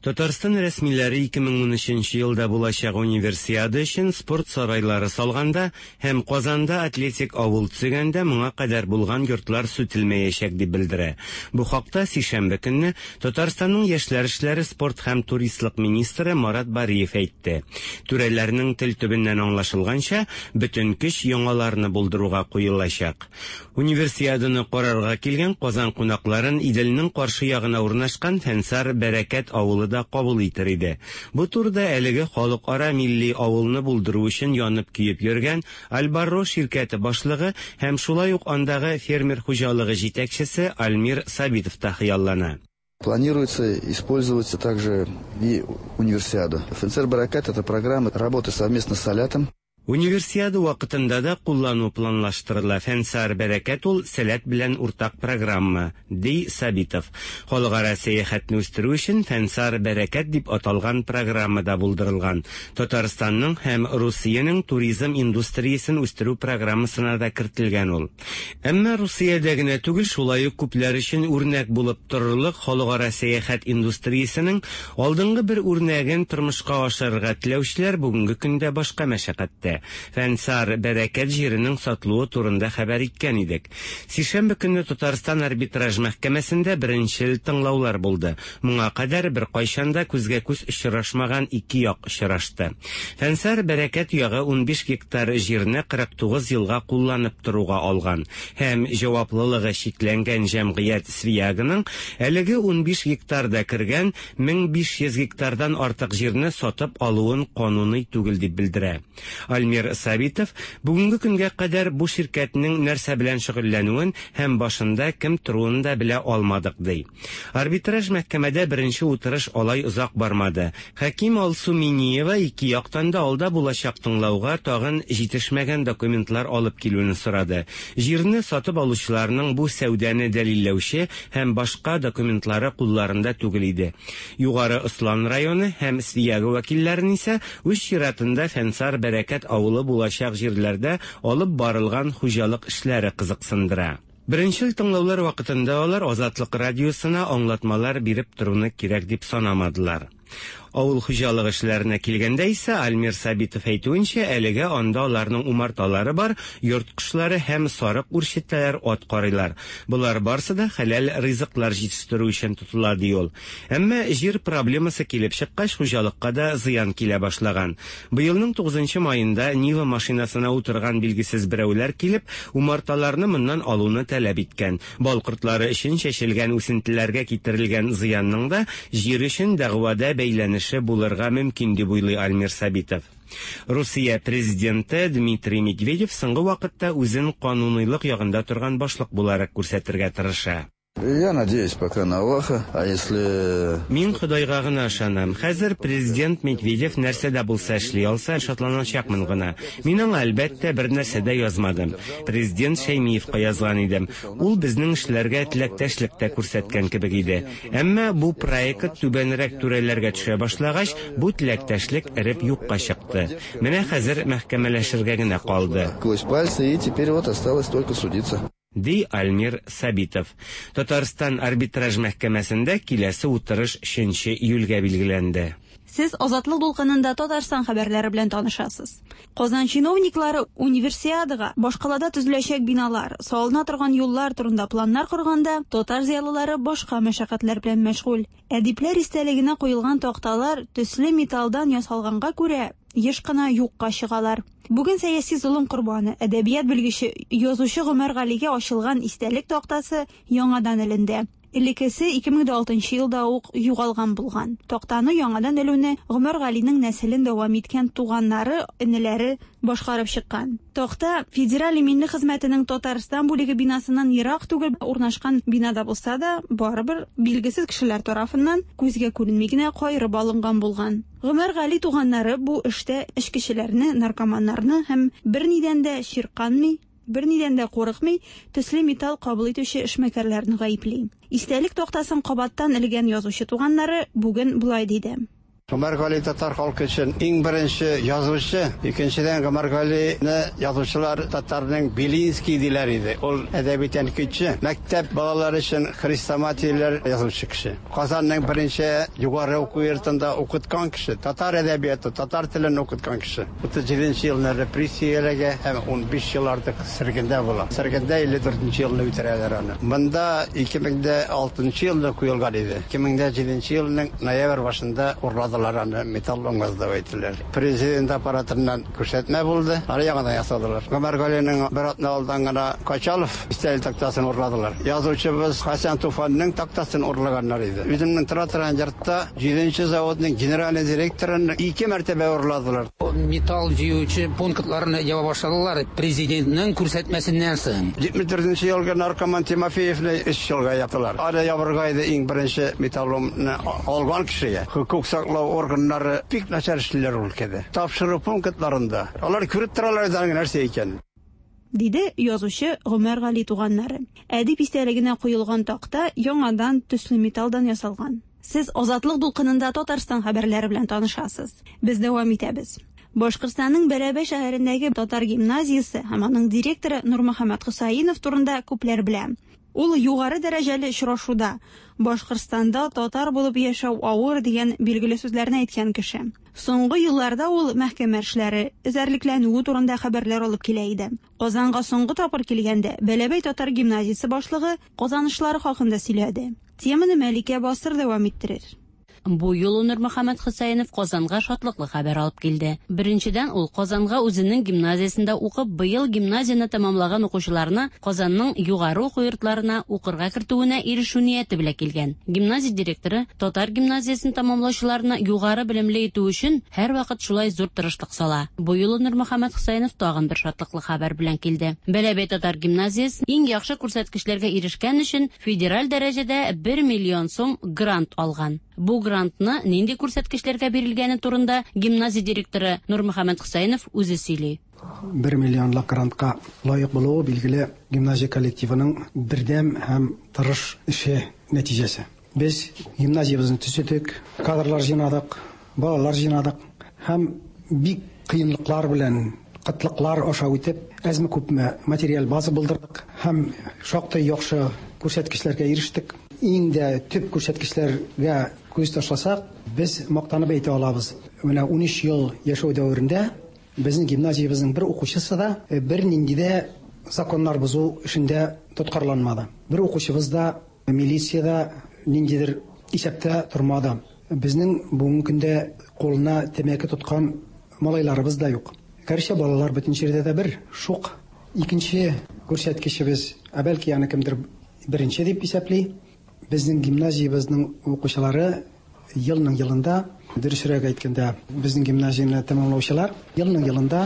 Татарстан рәсмиләре 2013 елда булачак Универсиада өчен спорт сарайлары салганда һәм Казанда атлетик авыл төзегәндә моңа кадәр булган йортлар сүтелмәячәк дип белдерә. Бу хакта сишәмбе көнне Татарстанның яшьләр эшләре, спорт һәм туристлык министры Марат Бариев әйтте. Түрәләрнең тел төбеннән аңлашылганча, бөтен көч яңаларны булдыруга куелачак. Универсиаданы карарга килгән Казан кунакларын Иделнең каршы ягына урнашкан Фәнсар Бәрәкәт авылы да кабул итер иде. Бу турыда әлеге халыкара милли авылны булдыру өчен янып-көеп йөргән Альбарро ширкәте башлыгы һәм шулай ук андагы фермер хуҗалыгы җитәкчесе Альмир Сабитов та хыяллана. Планируется использовать также и универсиаду. ФНЦР Баракат – это программа работы совместно с Салятом. Универсиада вакытында да куллану планлаштырыла. Фәнсар Бәрәкәт ул Сәләт белән уртак программа, ди Сабитов. Халыкара сәяхәтне үстерү өчен Фәнсар Бәрәкәт дип аталган программа да булдырылган. Татарстанның һәм Русиянең туризм индустриясен үстерү программасына да кертелгән ул. Әмма Русиядә генә түгел, шулай ук күпләр өчен үрнәк булып торырлык халыкара сәяхәт индустриясенең алдынгы бер үрнәген тормышка ашырырга теләүчеләр бүгенге көндә башка мәшәкатьтә. Фәнсар Бәрәкәт җиренең сатылуы турында хәбәр иткән идек. Сишәмбе көнне Татарстан арбитраж мәхкәмәсендә беренчел тыңлаулар булды. Моңа кадәр беркайчан да күзгә-күз очрашмаган ике як очрашты. Фәнсар Бәрәкәт ягы 15 гектар җирне 49 елга кулланып торуга алган һәм җаваплылыгы чикләнгән җәмгыять Свиягының әлеге 15 гектарда кергән 1500 гектардан артык җирне сатып алуын кануный түгел дип белдерә. Альмир Сабитов бүгенге көнгә кадәр бу ширкәтнең нәрсә белән шөгыльләнүен һәм башында кем торуын да белә алмадык ди. Арбитраж мәхкәмәдә беренче утырыш алай озак бармады. Хаким Алсу Миниева ике яктан да алда булачак тыңлауга тагын җитешмәгән документлар алып килүне сорады. Җирне сатып алучыларның бу сәүдәне дәлилләүче һәм башка документлары кулларында түгел иде. Югары Ослан районы һәм Свияга вәкилләрен исә үз чиратында Фәнсар Бәрәкәт авылы булачак җирләрдә алып барылган хуҗалык эшләре кызыксындыра. Беренчел тыңлаулар вакытында алар Азатлык радиосына аңлатмалар биреп торуны кирәк дип санамадылар. Авыл хуҗалыгы эшләренә килгәндә исә Альмир Сабитов әйтүенчә, әлегә анда аларның умарталары бар, йорт кошлары һәм сарык үрчетәләр, ат карыйлар. Болар барсы да хәләл ризыклар җитештерү өчен тотыла, ди ул. Әмма җир проблемасы килеп чыккач, хуҗалыкка да зыян килә башлаган. Быелның 9 маенда Нива машинасына утырган билгесез берәүләр килеп, умарталарны моннан алуны таләп иткән. Бал кортлары өчен чәчелгән үсентеләргә китерелгән зыянның да җир өчен дәгъвада бәйләнеше булырга мөмкин дип уйлый Альмир Сабитов. Русия президенты Дмитрий Медведев соңгы вакытта үзен кануныйлык ягында торган башлык буларак күрсәтергә тырыша. Я надеюсь пока на Аллаха, а если... Мин Ходайга гына ышанам. Хәзер президент Медведев нәрсә дә булса эшли алса, шатланачакмын гына. Мин аңа, әлбәттә, бер нәрсә дә язмадым. Президент Шәймиевка язган идем. Ул безнең эшләргә теләктәшлек тә күрсәткән кебек иде. Әмма бу проект түбәнрәк түрәләргә төшә башлагач, бу теләктәшлек эреп юкка чыкты. Менә хәзер мәхкәмәләшергә генә калды. Сквозь пальцы, и теперь вот осталось только судиться. Ди Альмир Сабитов. Татарстан арбитраж мәхкәмәсендә киләсе утырыш 3 июльгә билгеләнде. Сез Азатлык дулкынында Татарстан хәбәрләре белән танышасыз. Казан чиновниклары универсиадага башкалада төзеләчәк биналар, салына торган юллар турында планнар корганда, татар зыялылары башка мәшәкатьләр белән мәшгуль. Әдипләр истәлегенә куелган такталар төсле металлдан ясалганга күрә еш кына юкка чыгалар. Бүген сәяси золым корбаны, әдәбият белгече, язучы Гомәр Галигә ачылган истәлек тактасы яңадан эленде. Элеккесе 2006 елда ук югалган булган. Тактаны яңадан элүне Гомәр Галинең нәселен дәвам иткән туганнары, энеләре башкарып чыккан. Такта Федераль иминлек хезмәтенең Татарстан бүлеге бинасыннан ерак түгел урнашкан бинада булса да, барыбер билгесез кешеләр тарафыннан күзгә күренми генә каерып алынган булган. Гомәр Гали туганнары бу эштә эчкечеләрне, наркоманнарны һәм бернидән дә чирканмый, бернидән дә курыкмый, төсле металл кабул итүче эшмәкәрләрне гаепли. Истәлек тактасын кабаттан элгән язучы туганнары бүген болай диде. Гомәр Гали татар халкы өчен иң беренче язучы. Икенчедән, Гомәр Галине язучылар татарның Белинский диләр иде. Ул әдәби тәнкыйтьче, мәктәп балалары өчен хрестоматияләр язучы кеше. Казанның беренче югары уку йортында укыткан кеше, татар әдәбияты, татар телен укыткан кеше. 37 нче елны репрессияләргә һәм 15 ел артык сөргендә була. Сөргендә 54 нче елны үтерәләр аны. Монда 2006 елны куелган иде. 2007 елның ноябрь башында урладылар аны, металлолом дип әйттеләр. Президент аппаратыннан күрсәтмә булды, аны яңадан ясадылар. Гомәр Галинең бер атна алдан гына Качалов истәлек тактасын урладылар. Язучыбыз Хәсән Туфанның тактасын урлаганнар иде. Үземнең тора торган йортта 7 заводның генеральный директорын ике мәртәбә урладылар. Металл җыючы пунктларны яба башладылар президентның күрсәтмәсеннән соң. 74 нче елгы наркоман Тимофеевны өч елга яптылар. Аны ябырга иде иң беренче металломны алган кешегә. Хокук саклау органнары бик начар эшлиләр ул өлкәдә. Тапшыру пунктларында алар күреп торалар иде аның нәрсә икәнен. Диде язучы Гомәр Гали туганнары. Әдип истәлегенә куелган такта яңадан төсле металлдан ясалган. Сез Азатлык дулкынында Татарстан хәбәрләре белән танышасыз. Без дәвам итәбез. Башкортстанның Бәләбәй шәһәрендәге татар гимназиясе һәм аның директоры Нурмөхәммәт Хөсәенов турында күпләр белә. Ул югары дәрәҗәле очрашуда Башкортстанда татар булып яшәү авыр дигән билгеле сүзләрне әйткән кеше. Соңгы елларда ул мәхкәмә эшләре, эзәрлекләнүе турында хәбәрләр алып килә иде. Казанга соңгы тапкыр килгәндә Бәләбәй татар гимназиясе башлыгы казанышлары хакында сөйләде. Теманы Мәликә Басыр дәвам иттерер. Бу юлы Нурмөхәммәт Хөсәенов Казанга шатлыклы хәбәр алып килде. Беренчедән, ул Казанга үзенең гимназиясендә укып, быел гимназияне тәмамлаган укучыларны Казанның югары уку йортларына укырга кертүенә ирешү нияте белән килгән. Гимназия директоры татар гимназиясен тәмамлаучыларны югары белемле итү өчен һәрвакыт шулай зур тырышлык сала. Бу юлы Нурмөхәммәт Хөсәенов тагын бер шатлыклы хәбәр белән килде. Бәләбәй татар гимназиясе иң яхшы күрсәткечләргә ирешкән өчен федераль дәрәҗәдә 1 миллион сум грант алган. Бу грантны нинди күрсәткечләргә бирелгәне турында гимназия директоры Нурмөхәммәт Хөсәенов үзе сөйли. 1 миллионлык грантка лаек булуы, билгеле, гимназия коллективының бердәм һәм тырыш эше нәтиҗәсе. Без гимназиябезне төзедек, кадрлар җыйнадык, балалар җыйнадык һәм бик кыенлыклар белән, кытлыклар аша үтеп, әзме-күпме материаль база булдырдык һәм шактый яхшы күрсәткечләргә ирештек. Иң дә төп күрсәткечләргә күз ташласак, без мактанып әйтә алабыз. Менә 13 ел яшәү дәверендә безнең гимназиябезнең бер укучысы да бернинди дә законнар бозу эшендә тоткарланмады. Бер укучыбыз да милициядә ниндидер исәптә тормады. Безнең бүгенге көндә кулына тәмәке тоткан малайларыбыз да юк. Гәрчә балалар бөтен җирдә дә бер, шук. Икенче күрсәткечебез, ә бәлки аны кемдер беренче дип исәпли, безнең гимназиябезнең укучылары елның елында, дөресрәк әйткәндә, безнең гимназияне тәмамлаучылар елның елында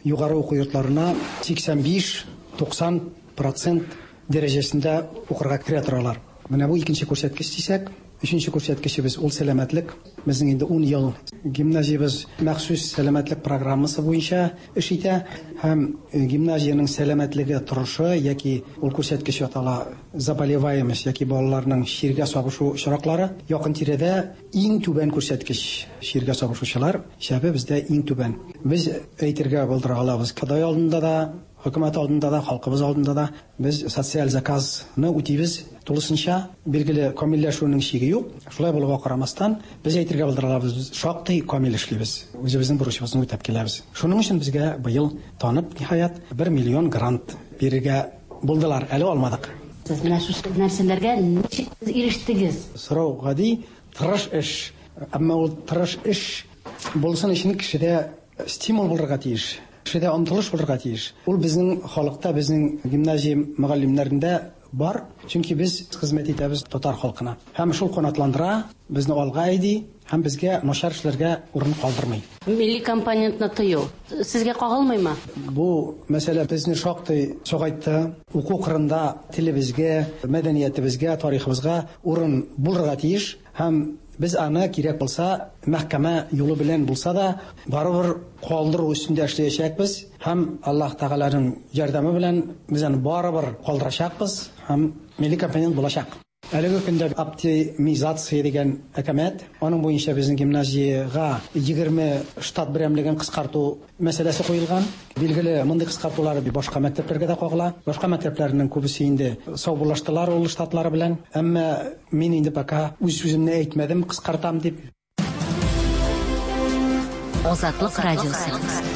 югары уку йортларына 85-90 процент дәрәҗәсендә укырга керә торалар. Менә бу икенче күрсәткеч дисәк, өченче күрсәткечебез ул сәламәтлек. Безнең инде 10 ел гимназиябез махсус сәламәтлек программасы буенча эш итә һәм гимназиянең сәламәтлеге торышы яки ул күрсәткеч атала заболеваемость яки балаларның чиргә сабышу очраклары якын тирәдә иң түбән күрсәткеч чиргә сабышучылар исәбе бездә иң түбән. Без әйтергә булдыра алабыз, Ходай алдында да, хөкүмәт алдында да, халкыбыз алдында да без социаль заказны үтибез тулысынча. Билгеле, камилләшүнең чиге юк. Шулай булуга карамастан, без әйтергә булдыра алабыз, без шактый камил эшлибез. Үзебезнең бурычыбызны үтәп киләбез. Шуның өчен безгә быел танып, ниһаять, 1 миллион грант бирергә булдылар. Әле алмадык. Сез менә шушы нәрсәләргә ничек ирештегез? Сорау гади, тырыш эш. Әмма ул тырыш эш булсын өчен кешедә стимул булырга тиеш. Кешедә омтылыш булырга тиеш. Ул безнең халыкта, безнең гимназия мөгаллимнәрендә бар, чөнки без хезмәт итәбез татар халкына. Һәм шул канатландыра, безне алга әйди һәм безгә начар эшләргә урын калдырмый. Милли компонентны тыю сезгә кагылмыймы? Бу мәсьәлә безне шактый сагайтты. Уку кырында телебезгә, мәдәниятебезгә, тарихыбызга урын булырга тиеш һәм без аны кирәк булса, мәхкәмә юлы белән булса да, барыбер калдыру өстендә эшләячәкбез һәм Аллаһ Тәгаләнең ярдәме белән без аны барыбер калдырачакбыз һәм милли компонент булачак. Әлеге көндә оптимизация дигән әкәмәт, аның буенча безнең гимназиягә 20 штат берәмлеген кыскарту мәсьәләсе куелган. Билгеле, мондый кыскартулар башка мәктәпләргә дә кагыла. Башка мәктәпләрнең күбесе инде саубуллаштылар ул штатлары белән. Әмма мин инде пока үз сүземне әйтмәдем, кыскартам дип. Азатлык радиосы.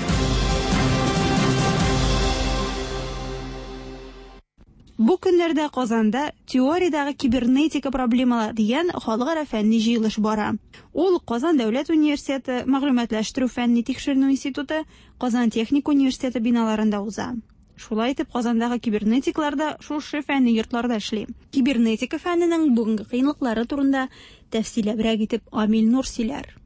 Бу көннәрдә Казанда Теориядәге кибернетика проблемалары дигән халыкара фәнни җыелыш бара. Ул Казан дәүләт университеты, Мәгълүматлаштыру фәнни тикшеренү институты, Казан техник университеты биналарында уза. Шулай итеп, Казандагы кибернетиклар да шушы фәнни йортларда эшли. Кибернетика фәненең бүгенге кыенлыклары турында тәфсилләбрәк итеп Амил Нур сөйләр.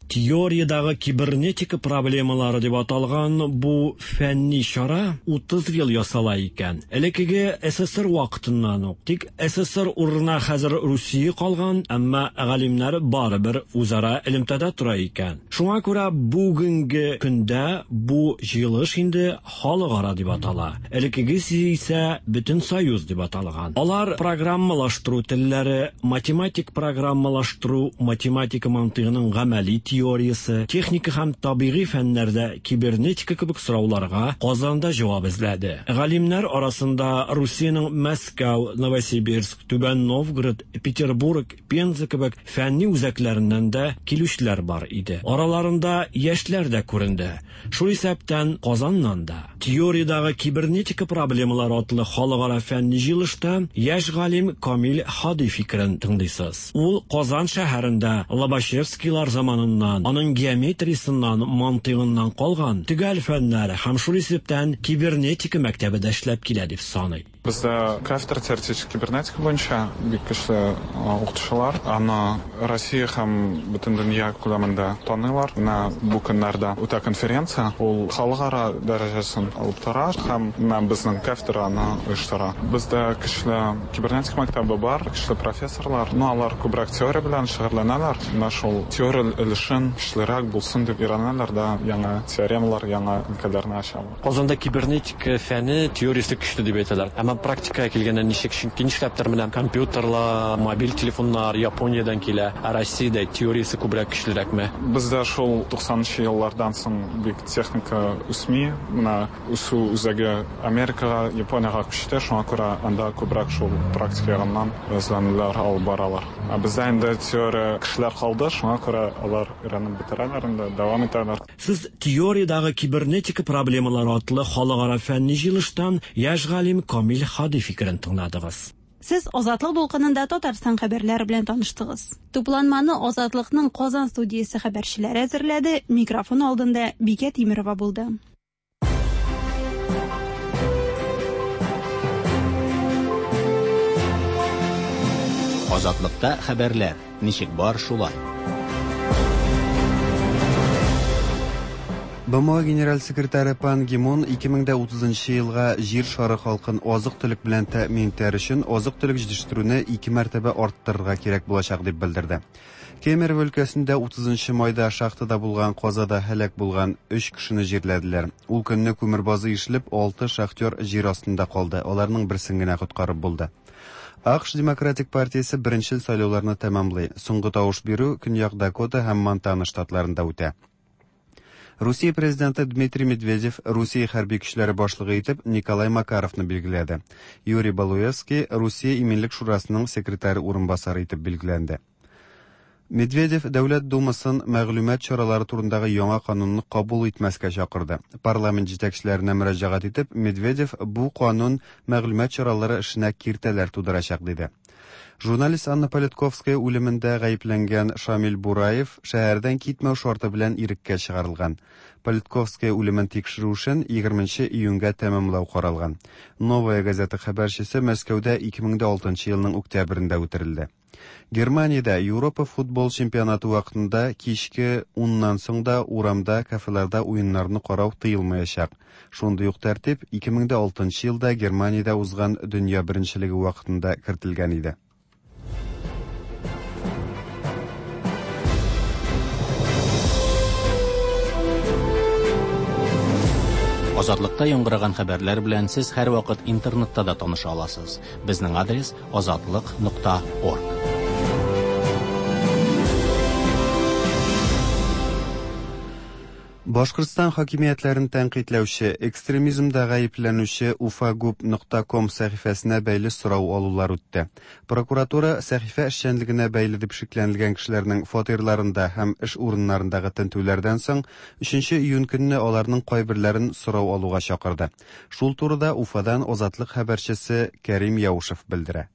Теориядәге кибернетика проблемалары дип аталган бу фәнни чара 30 ел ясала икән. Элеккеге СССР вакытыннан ук. Тик СССР урынына хәзер Русия калган, әмма галимнәр барыбер үзара элемтәдә тора икән. Шуңа күрә бүгенге көндә бу җыелыш инде халыкара дип атала. Элеккегесе исә бөтен союз дип аталган. Алар программалаштыру телләре, математик программалаштыру, математика мантыйгының гамәли теориясе, техника һәм табигый фәннәрдә кибернетика кебек сорауларга Казанда җавап эзләде. Галимнәр арасында Русиянең Мәскәү, Новосибирск, Түбән Новгород, Петербург, Пенза кебек фәнни үзәкләреннән дә килүчеләр бар иде. Араларында яшьләр дә күренде. Шул исәптән Казаннан да. Теориядәге кибернетика проблемалары атлы халыкара фәнни җыелышта яшь галим Камил Һади фикерен тыңлыйсыз. Ул Казан шәһәрендә Лобачевскийлар заманыннан, аның геометриясеннән, мантыйгыннан калган төгәл фәннәр һәм шул исәптән кибернетика мәктәбе дә эшләп килә дип саный. Бездә кафедра теоретический кибернетика буенча бик көчле укытучылар. Аны Россия һәм бөтен дөнья күләмендә таныйлар. Менә бу көннәрдә үтә конференция. Ул халыкара дәрәҗәсен алып тора һәм менә безнең кафедра аны оештыра. Бездә көчле кибернетика мәктәбе бар, көчле профессорлар. Но алар күбрәк теория белән шөгыльләнәләр. Менә шул теория өлешен көчлерәк булсын дип өйрәнәләр дә, яңа теоремалар, яңа өлкәләрне ачалар. Казанда кибернетика фәне теориясе көчле дип әйтәләр. Әмма практикага килгәндә ничек? Чөнки нишләптер менә компьютерлар, мобиль телефоннар Япониядән килә, ә Россиядә теориясе күбрәк көчлерәкме? Бездә шул 90 нчы еллардан соң бик техника үсми. Менә үсү үзәге Америкага, Япониягә күчте, шуңа күрә анда күбрәк шул практика ягыннан эзләнүләр алып баралар. Ә бездә инде теория кешеләр калды, шуңа күрә алар өйрәнеп бетерәләр инде, дәвам итәләр. Сез Теориядәге кибернетика проблемалары атлы халыкара фәнни җыелыштан яшь галим Камил Һади фикерен тыңладыгыз. Сез Азатлык дулкынында Татарстан хәбәрләре белән таныштыгыз. Тупланманы Азатлыкның Казан студиясе хәбәрчеләре әзерләде, микрофон алдында Бикә Тимерова булды. Азатлыкта хәбәрләр, ничек бар шулай. БМО генераль секретаре Пан Ги Мун 2030 елга җир шары халкын азык-төлек белән тәэмин итәр өчен азык-төлек җитештерүне ике мәртәбә арттырырга кирәк булачак дип белдерде. Кемерово өлкәсендә 30 майда шахтада булган казада һәлак булган өч кешене җирләделәр. Ул көнне күмер базы ишелеп, алты шахтер җир астында калды. Аларның берсен генә коткарып булды. АКШ Демократик партиясе беренчел сайлауларны тәмамлый. Соңгы тавыш бирү Көньяк Дакота һәм Монтана штатларында үтә. Русия президенты Дмитрий Медведев Русия хәрби көчләре башлыгы итеп Николай Макаровны билгеләде. Юрий Балуевский Русия иминлек шурасының секретаре урынбасары итеп билгеләнде. Медведев Дәүләт Думасын мәгълүмат чаралары турындагы яңа канунны кабул итмәскә чакырды. Парламент җитәкчеләренә мөрәҗәгать итеп, Медведев бу канун мәгълүмат чаралары эшенә киртәләр тудырачак диде. Журналист Анна Политковская үлемендә гаепләнгән Шамил Бураев шәһәрдән китмәү шарты белән иреккә чыгарылган. Политковская үлемен тикшерү эшен 20 июньгә тәмамлау каралган. Новая газета хәбәрчесе Мәскәүдә 2006 елның октябрендә үтерелде. Германиядә Европа футбол чемпионаты вакытында кичке уннан соң да урамда, кафеларда уеннарны карау тыелмаячак. Шундый ук тәртип 2006 елда Германиядә узган дөнья беренчелеге вакытында кертелгән иде. Азатлыкта яңгыраган хәбәрләр белән сез һәрвакыт интернетта да таныша аласыз. Безнең адрес азатлык нокта орг. Башкортстан хакимиятләрен тәнкыйтьләүче, экстремизмда гаепләнүче уфагуб нокта ком сәхифәсенә бәйле сорау алулар үтте. Прокуратура сәхифә эшчәнлегенә бәйле дип шикләнелгән кешеләрнең фатирларында һәм эш урыннарындагы тентүләрдән соң 3 июнь көнне аларның кайберләрен сорау алуга чакырды. Шул турыда Уфадан Азатлык хәбәрчесе Кәрим Яушев белдерә.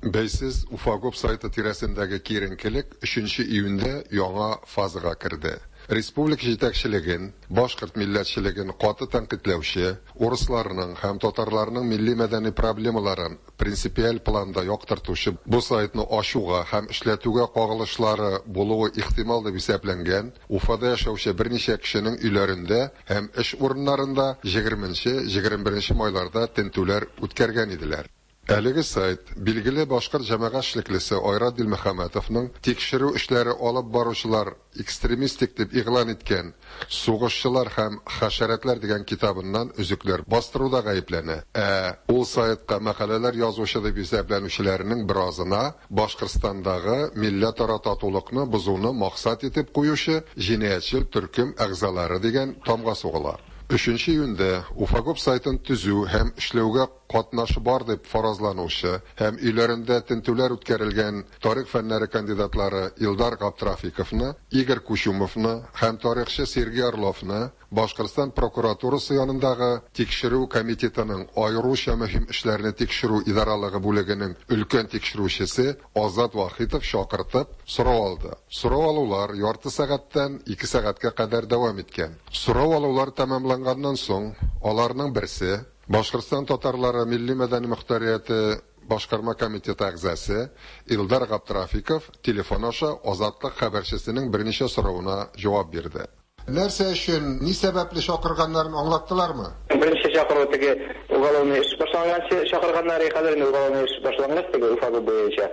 Бәйсез Уфагуб сайты тирәсендәге киеренкелек өченче июньдә яңа фазага керде. Республика җитәкчелеген, башкорт милләтчелеген каты тәнкыйтьләүче, урысларның һәм татарларның милли-мәдәни проблемаларын принципиаль планда яктыртучы бу сайтны ачуга һәм эшләтүгә кагылышлары булуы ихтимал дип исәпләнгән Уфада яшәүче берничә кешенең өйләрендә һәм эш урыннарында егерменче-егерме беренче майларда тентүләр үткәргән иделәр. Әлеге сайт билгеле башкорт җәмәгать эшлеклесе Айрат Дилмөхәммәтовның тикшерү эшләре алып баручылар экстремистик дип игълан иткән Сугышчылар һәм хәшәрәтләр дигән китабыннан өзекләр бастыруда гаепләнә. Ә ул сайтка мәкаләләр язучы дип исәпләнүчеләрнең беразына Башкортстандагы милләтара татулыкны бозуны максат итеп куючы җинаятьчел төркем әгъзалары дигән тамга сугыла. Өченче июньдә Уфагуб сайтын төзү һәм эшләүгә катнашы бар дип фаразланучы һәм өйләрендә тентүләр үткәрелгән тарих фәннәре кандидатлары Илдар Габдрафиковны, Игорь Кучумовны һәм тарихчы Сергей Орловны Башкортстан прокуратурасы янындагы Тикшерү комитетының аеруча мөһим эшләрне тикшерү идаралыгы бүлегенең өлкән тикшерүчесе Азат Вахитов чакыртып, сорау алды. Сорау алулар ярты сәгатьтән ике сәгатькә кадәр дәвам иткән. Сорау алулар тәмамланганнан соң, аларның берсе, Башкортстан татарлары милли-мәдәни мохтарияте башкарма комитеты әгъзасы Илдар Габдрафиков телефон аша Азатлык хәбәрчесенең берничә соравына җавап бирде. Нәрсә өчен, ни сәбәпле чакырганнарын аңлаттылармы? Беренче чакыру теге уголовный эш башланганчы чакырганнар, хәзер инде уголовный эш башлангач теге Уфа буенча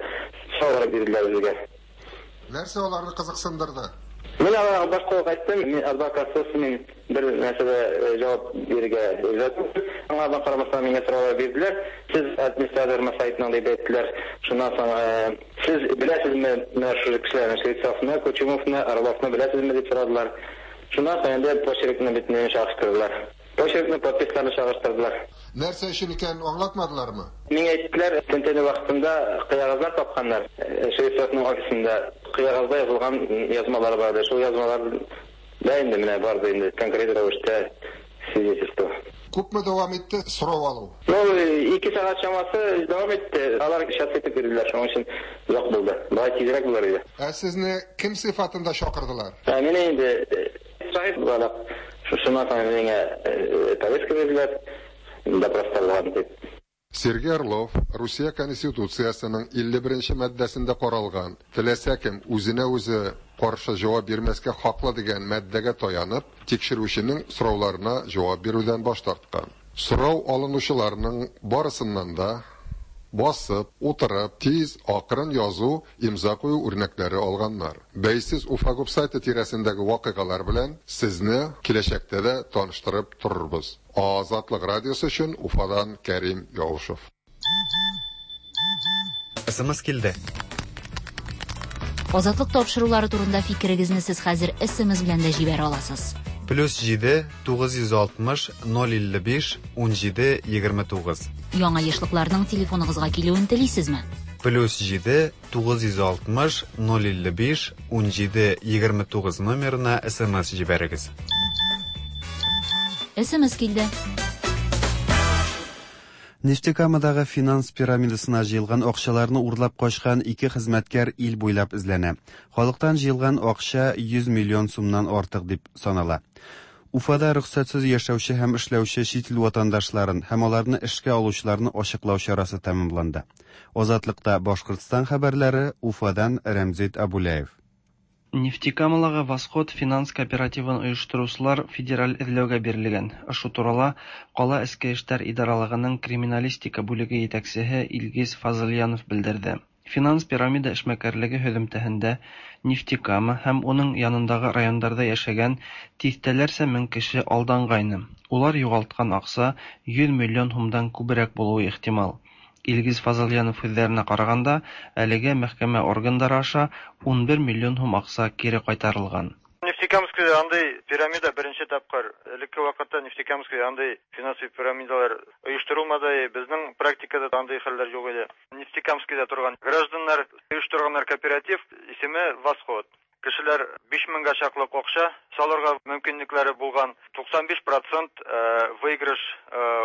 сораулар бирделәр безгә. Нәрсә аларны кызыксындырды? Мин аларга башта ук әйттем, мин адвокатсыз мин бер нәрсә дә җавап бирергә риза түгел. Аңардан карамастан миңа сораулар бирделәр. Сез администратормы сайтның дип әйттеләр. Шуннан соң сез беләсезме менә шушы кешеләрне, Швецовны, Кучумовны, Орловны беләсезме дип сорадылар. Шуннан соң инде почеркны бөтенләй чагыштырдылар. Почеркны, подписларны чагыштырдылар. Нәрсә өчен икәнен аңлатмадылармы? Миңа әйттеләр, тентү вакытында кәгазьләр тапканнар. Швецовның офисында кәгазьдә язылган язмалар бар. Шул язмалар да инде менә барды инде конкрет рәвештә свидетельство. Күпме дәвам итте сорау алу? Ну, 2 сәгать чамасы дәвам итте. Алар сейчас итеп бирделәр, шуның өчен озак булды. Болай тизрәк булыр иде. Ә сезне кем сыйфатында чакырдылар? Ә мине инде шаһит буларак, шушыннан соң миңа повестка бирделәр, допроста булган дип. Сергей Орлов Русия Конституциясенең 51 нче маддәсендә каралган теләсә кем үзенә үзе каршы җавап бирмәскә хаклы дигән маддәгә таянып, тикшерүченең сорауларына җавап бирүдән баш тарткан. Сорау алынучыларның барысыннан да басып, утырып, тиз, акрын язу, имза кую үрнәкләре алганнар. Бәйсез Уфагуб сайты тирәсендәге вакыйгалар белән сезне киләчәктә дә таныштырып торырбыз. Азатлык радиосы өчен Уфадан Кәрим Яушев. СМС килде. Азатлык тапшырулары турында фикерегезне сез хәзер СМС белән дә җибәрә аласыз. Плюс 7 960 055 17 29. Яңа ешлыкларның телефоныгызга килүен телисезме? Плюс 7 960 055 17 29 номерына смс җибәрегез. СМС килде. Нефтекамадагы финанс пирамидасына җыелган акчаларны урлап качкан ике хезмәткәр ил буйлап эзләнә. Халыктан җыелган акча 100 миллион сумнан артык дип санала. Уфада рөхсәтсез яшәүче һәм эшләүче чит ил ватандашларын һәм аларны эшкә алучыларны ачыклау чарасы тәмамланды. Азатлыкта Башкортстан хәбәрләре Уфадан Рәмзит Абуляев. Нефтекамалагы Восход финанс кооперативын оештыручылар федераль эзләүгә бирелгән. Ошо турала кала эчке эштәр идаралыгының криминалистика бүлеге җитәкчесе Илгиз Фазыльянов белдерде. Финанс пирамида эшмәкәрлеге һөҙөмтәһендә Нефтекама һәм уның янындагы райондарда яшәгән тиҫтәләрсә мең кеше алданғайны. Улар юғалтҡан аҡса 100 миллион һумдан күберәк булыуы ихтимал. Илгиз Фазыльянов һүҙҙәренә ҡарағанда, әлегә мәхкәмә органдары аша 11 миллион һум аҡса кире ҡайтарылған. Нефтекамскида андай пирамида беренче тапкыр. Элекке вакытта Нефтекамскида андай финансовый пирамидалар оештырылмады. Безнең практикада андай хәлләр юк иде. Нефтекамскида торган гражданнар оештырганнар кооператив, исеме Восход. Кешеләр 5000гә чаклы акча салырга мөмкинлекләре булган. 95% выигрыш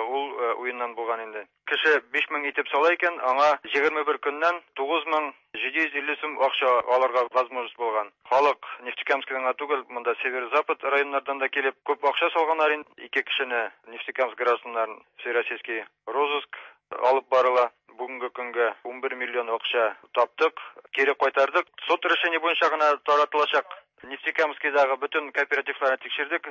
ул уеннан булган инде. Кеше 5000 итеп сала икән, аңа 21 көннән 9750 сум акча алырга возможность булган. Халык Нефтекамскидан гына түгел, монда северо-запад районнардан да килеп күп акча салганнар инде. Ике кешене Нефтекамск гражданнарын всероссийский розыск алып барыла. Бүгенге көнгә 11 миллион акча таптык, кире кайтардык. Суд решение буенча гына таратылачак. Нефтекамскидагы бөтен кооперативларны тикшердек.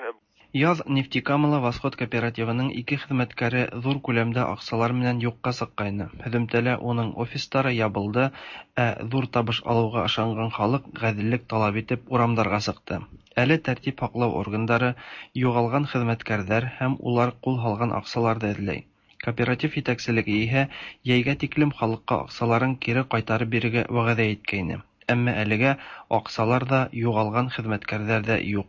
Яз Нефтекамала Восход кооперативының ике хезмәткәре зур күләмдә акчалар менән юкка чыккайны. Һөҙөмтәлә уның офистары ябылды, ә зур табыш алыуға ышанған халык ғәҙеллек талап итеп урамдарға сыҡты. Әле тәртип һаҡлау органдары юғалған хеҙмәткәрҙәр һәм улар ҡул һалған аҡсаларҙы эҙләй. Кооператив етәкселеге иһә йәйгә тиклем халыҡҡа аҡсаларын кире ҡайтарып бирергә вәғәҙә иткәйне. Әммә әлегә аҡсалар ҙа, юғалған хеҙмәткәрҙәр ҙә юҡ.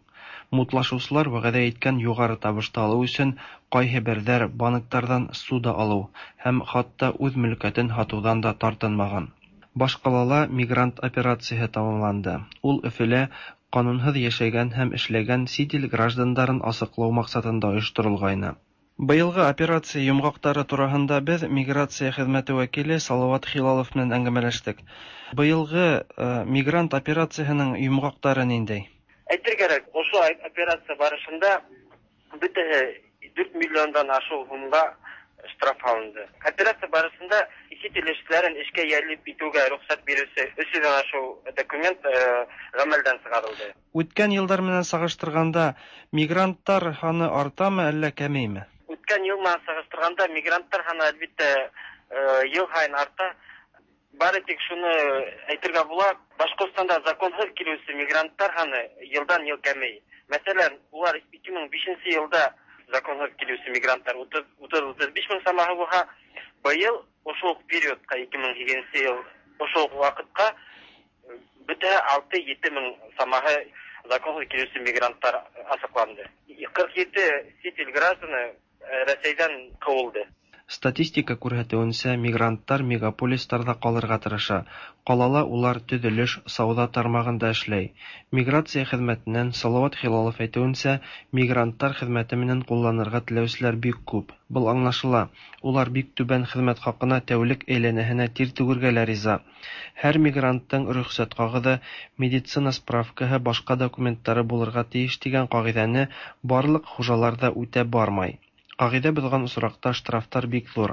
Мутлашыусылар вәғәҙә иткән юғары табышты алыу өсөн ҡайһы берҙәр банктарҙан ссуда алыу һәм хатта үҙ мөлкәтен һатыуҙан да тартынмаған. Баш ҡалала мигрант операцияһы тамамланды. Ул Өфөлә ҡанунһыҙ йәшәгән һәм эшләгән сит ил граждандарын асыҡлау маҡсатында ойошторолғайны. Быйылғы операция йомғаҡтары тураһында беҙ миграция хеҙмәте вәкиле Салауат Хилалов менән әңгәмәләштек. Быйылғы мигрант операцияһының йомғаҡтары ниндәй? Әйтер кәрәк, ошо операция барышында бөтәһе 4 миллиондан ашыу һумға штраф һалынды. Операция барышында сит ил эшселәрен эшкә йәлеп итеүгә рөхсәт биреүсе 300-дән ашыу документ ғәмәлдән сығарылды. Үткән йылдар менән сағыштырғанда мигранттар һаны артамы әллә кәмейме? Үткән йыл менән сағыштырғанда мигранттар һаны әлбиттә йыл һайын арта. Бары тик шуны әйтергә була, Башҡортостанда законһыҙ килеүсе мигранттар һаны йылдан йыл кәмей. Мәҫәлән, улар 2005 йылда законһыҙ килеүсе мигранттар 30-35 мең самаһы булһа, быйыл ошо уҡ периодҡа 2008 йыл ошо уҡ ваҡытҡа бөтә 6-7 мең самаһы законһыҙ килеүсе мигранттар асыҡланды. 47 сит ил гражданы Рәсәйҙән ҡыуылды. Статистика күрһәтеүенсә, мигранттар мегаполистарҙа ҡалырға тырыша. Ҡалала улар төҙөлөш, сауҙа тармағында эшләй. Миграция хеҙмәтенән Салауат Хилалов әйтеүенсә, мигранттар хеҙмәте менән ҡулланырға теләүселәр бик күп. Был аңлашыла. Улар бик түбән хеҙмәт хаҡына тәүлек әйләнәһенә тир түгергә лә риза. Һәр мигранттың рөхсәт ҡағыҙы, медицина справкаһы, башҡа документтары булырға тейеш тигән ҡағиҙәне барлыҡ хужалар ҙа үтәп бармай. Ҡағиҙә боҙған осраҡта штрафтар бик ҙур.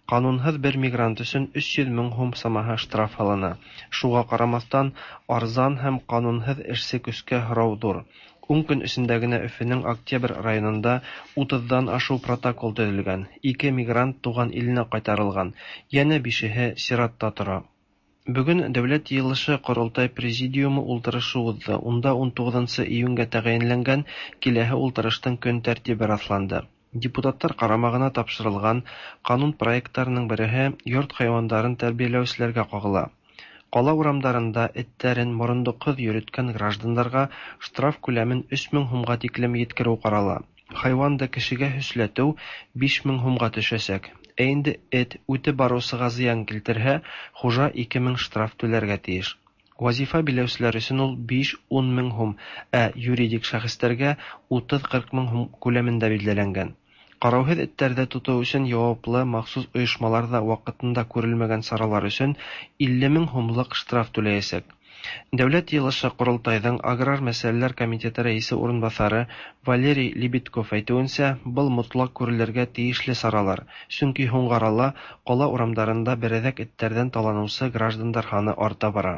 Ҡанунһыҙ бер мигрант өсөн 300 мең һум самаһы штраф һалына. Шуға ҡарамаҫтан, арзан һәм ҡанунһыҙ эшсе көскә һорау ҙур. 10 көн эсендә генә Өфөнөң Октябрь районында 30-дан ашыу протокол төҙөлгән. 2 мигрант туған иленә ҡайтарылған, йәнә 5-еһе сиратта тора. Бөгөн Дәүләт йыйылышы Ҡоролтай Президиумы ултырышы уҙҙы. Унда 19 июнгә тәғәйенләнгән киләһе ултырыштың көн тәртибе раҫланды. Депутаттар ҡарамағына тапшырылған ҡанун проекттарының береһе йорт хайуандарын тәрбиәләүселәргә ҡағыла. Ҡала урамдарында эттәрен морондоҡһоҙ йөрөткән граждандарға штраф күләмен 3000 һумға тиклем еткереү ҡарала. Хайуанды кешегә һөсләтеү 5000 һумға төшәсәк. Ә инде эт үтеп баручыга зыян килтерһә, хуҗа 2000 штраф түләргә тиеш. Вазифа биләүчеләр өчен ул 5-10 мең һум, ә юридик шәхесләргә 30-40 мең һум күләмендә билгеләнгән. Караусыз этләрне тоту өчен яваплы махсус оешмалар да вакытында күрелмәгән чаралар өчен 50 мең һумлык штраф түләячәк. Дәүләт җыелышы-Корылтайның Аграр мәсьәләләр комитеты рәисе урынбасары Валерий Лебедков әйтүенчә, был мотлак күрелергә тиешле чаралар, чөнки һуңгы арала кала урамдарында берәзәк этләрдән таланучы граждандар саны арта бара.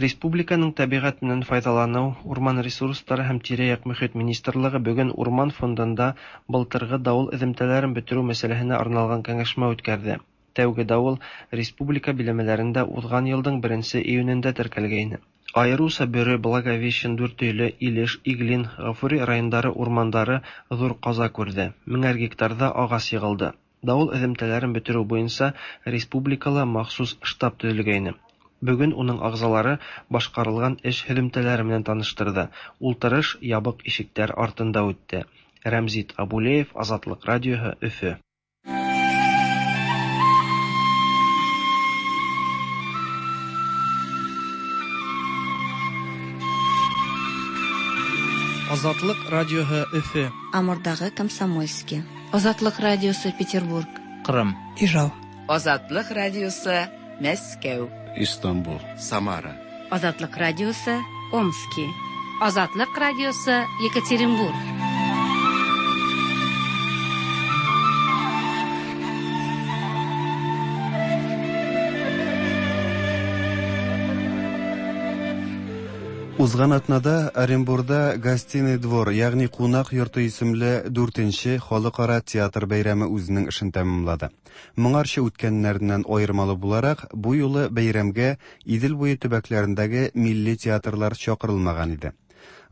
Республиканың табигать менән файдалану, урман ресурслары һәм тирә-як мөхит министрлыгы бүген Урман фондында былтыргы давыл эземтәләрен бетерү мәсьәләһенә арналган киңәшмә үткәрде. Тәүге давыл республика биләмәләрендә узган елның 1 июнендә теркәлгәйне. Аеруча Бөре, Благовещен, Дүртөйле, Илеш, Иглин, Гафури районнары урмандары зур каза күрде, меңәр гектарда агач егылды. Давыл эземтәләрен бетерү буенча республикала махсус штаб төзелгәйне. Бүген уның агзалары башкарылган эш һөҙемтәләре менән таныштырды. Ултырыш ябык ишекләр артында үтте. Рәмзит Абулеев, Азатлык радиоһы, Өфө. Азатлык радиоһы Өфө. Амурдагы Комсомольский. Азатлык радиосы Петербург. Кырым. Ижау. Азатлык радиосы Мәскәү. Истанбул. Самара. Азатлык радиосы Омски. Азатлык радиосы Екатеринбург. Узган атнада Оренбурда Гостиный двор, ягъни кунак йорты исемле дүртенче халыкара театр бәйрәме үзенең эшен тәмамлады. Моңарчы үткәннәреннән аермалы буларак, бу юлы бәйрәмгә Идел буе төбәкләрендәге милли театрлар чакырылмаган иде.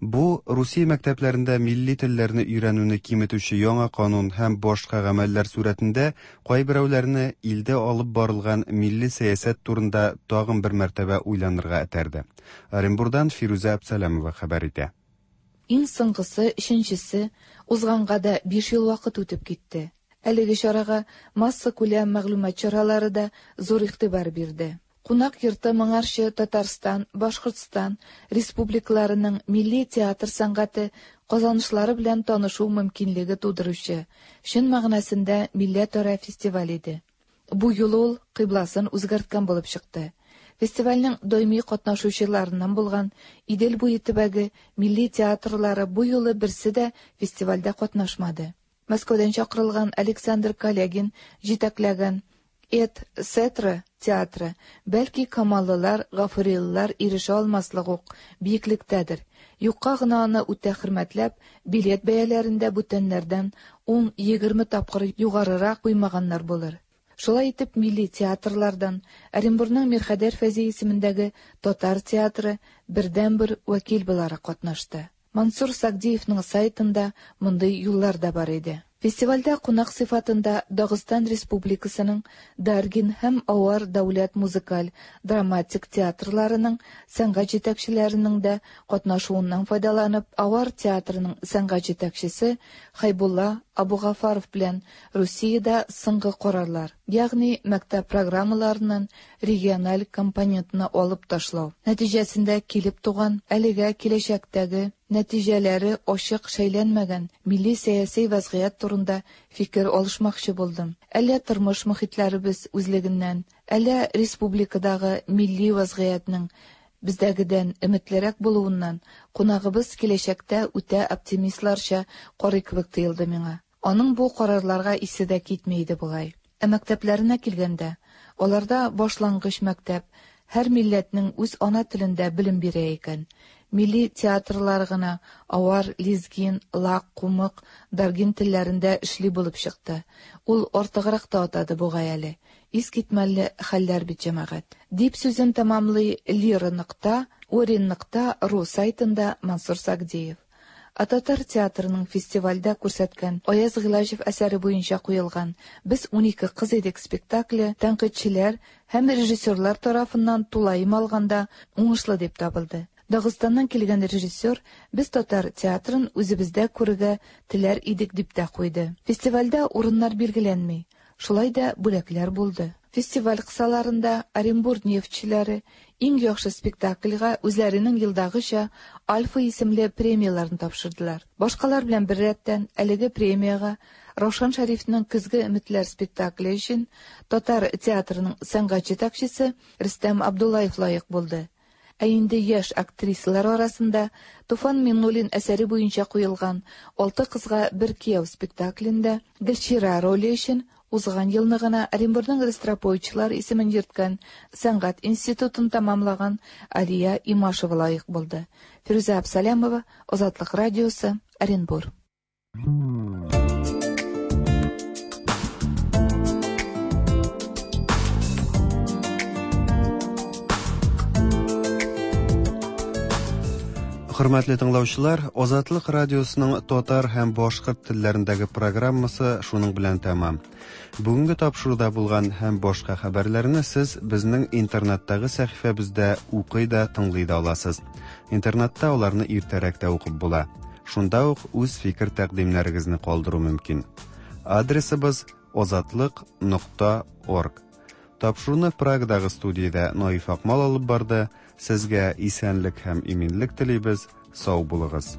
Бу Русия мәктәпләрендә милли телләрне өйрәнүне киметүче яңа канун һәм башка гамәлләр сурәтендә кайберәүләрне илдә алып барылган милли сәясәт турында тагын бер мәртәбә уйланырга этәрде. Оренбурдан Фирүзә Әбсәләмова хәбәр итә. Иң соңгысы, өченчесе, узганга да 5 ел вакыт үтеп китте. Әлеге чарага массакүләм мәгълүмат чаралары да зур игътибар бирде. Кунак йорты моңарчы Татарстан, Башкортстан республикаларының милли театр сәнгате казанышлары белән танышу мөмкинлеге тудыручы, чын мәгънәсендә милләтара фестиваль иде. Бу юлы ул кыйбласын үзгәрткән булып чыкты. Фестивальнең даими катнашучыларыннан булган Идел буе төбәге милли театрлары бу юлы берсе дә фестивальдә катнашмады. Мәскәүдән чакырылган Александр Калягин җитәкләгән Эт Сетра театры, бәлки камаллылар, гафурилылар ирешә алмаслык ук биеклектәдер. Юкка гына аны үтә хөрмәтләп, билет бәяләрен дә бүтәннәрдән 10-20 тапкыр югарырак куймаганнар булыр. Шулай итеп, милли театрлардан Оренбурның Мирхәйдәр Фәйзи исемендәге татар театры бердәнбер вәкил буларак катнашты. Мансур Сагдиевның сайтында мондый юллар да бар иде. Фестивальдә кунак сыйфатында Дагыстан Республикасының Даргин һәм Авар дәүләт музыкаль драматик театрларының сәнгать җитәкчеләренең дә катнашуыннан файдаланып, Авар театрының сәнгать җитәкчесе Хайбулла Абугафаров белән Русиядә соңгы карарлар, ягъни мәктәп программаларыннан региональ компонентны алып ташлау нәтиҗәсендә килеп туган әлегә киләчәктәге нәтиҗәләре ачык шәйләнмәгән милли сәяси вәзгыять турында фикер алышмакчы булдым. Әллә тормыш мохитләребез үзлегеннән, әллә республикадагы милли вәзгыятьнең бездәгедән өметлерәк булуыннан кунагыбыз киләчәктә үтә оптимистларча карый кебек тоелды миңа. Аның бу карарларга исе дә китми иде бугай. Ә мәктәпләренә килгәндә, аларда башлангыч мәктәп һәр милләтнең үз ана телендә белем бирә икән. Милли театрлар гына авар, лезгин, лак, кумык, даргин телләрендә эшли булып чыкты. Ул артыграк та атады бугай әле. Искитмәле хәлләр бит, җәмәгать. Дип сүзен тәмамлый Лира нокта, Орин нокта ру сайтында Мансур Сагдиев. Ә татар театрының фестивальдә күрсәткән Аяз Гыйләҗев әсәре буенча куелган Без 12 кыз идек спектакле тәнкыйтьчеләр һәм режиссерлар тарафыннан тулаем алганда уңышлы дип табылды. Дагыстаннан килгән режиссер без татар театрын үзебездә күрергә теләр идек дип тә куйды. Фестивальдә урыннар билгеләнми. Шулай да бүләкләр булды. Фестиваль кысаларында Оренбур нефтьчеләре иң яхшы спектакльгә үзләренең елдагыча Альфа исемле премияләрен тапшырдылар. Башкалар белән беррәттән әлеге премиягә Раушан Шәрифнең Көзге өметләр спектакле өчен татар театрының сәнгать җитәкчесе Рөстәм Абдуллаев лаек булды. Ә инде яшь актрисалар арасында Туфан Миңнуллин әсәре буенча куелган Алты кызга бер кияү спектаклендә Гөлчирә роле өчен узган елны гына Оренбурның Ростроповичлар исемен йөрткән сәнгать институтын тәмамлаган Алия Имашева лаек булды. Фирүзә Абсалямова, Азатлык радиосы, Оренбур. Хөрмәтле тыңлаучылар, Азатлык радиосының татар һәм башкорт телләрендәге программасы шуның белән тәмам. Бүгенге тапшыруда булган һәм башка хәбәрләрне сез безнең интернеттагы сәхифәбездә укый да, тыңлый да аласыз. Интернетта аларны иртәрәк тә укып була. Шунда ук үз фикер-тәкъдимнәрегезне калдыру мөмкин. Адресыбыз озатлык нокта орг. Тапшыруны Прагадагы студиядә Наиф Акмал алып барды. Сезгә исәнлек һәм иминлек телибез. Сау булыгыз.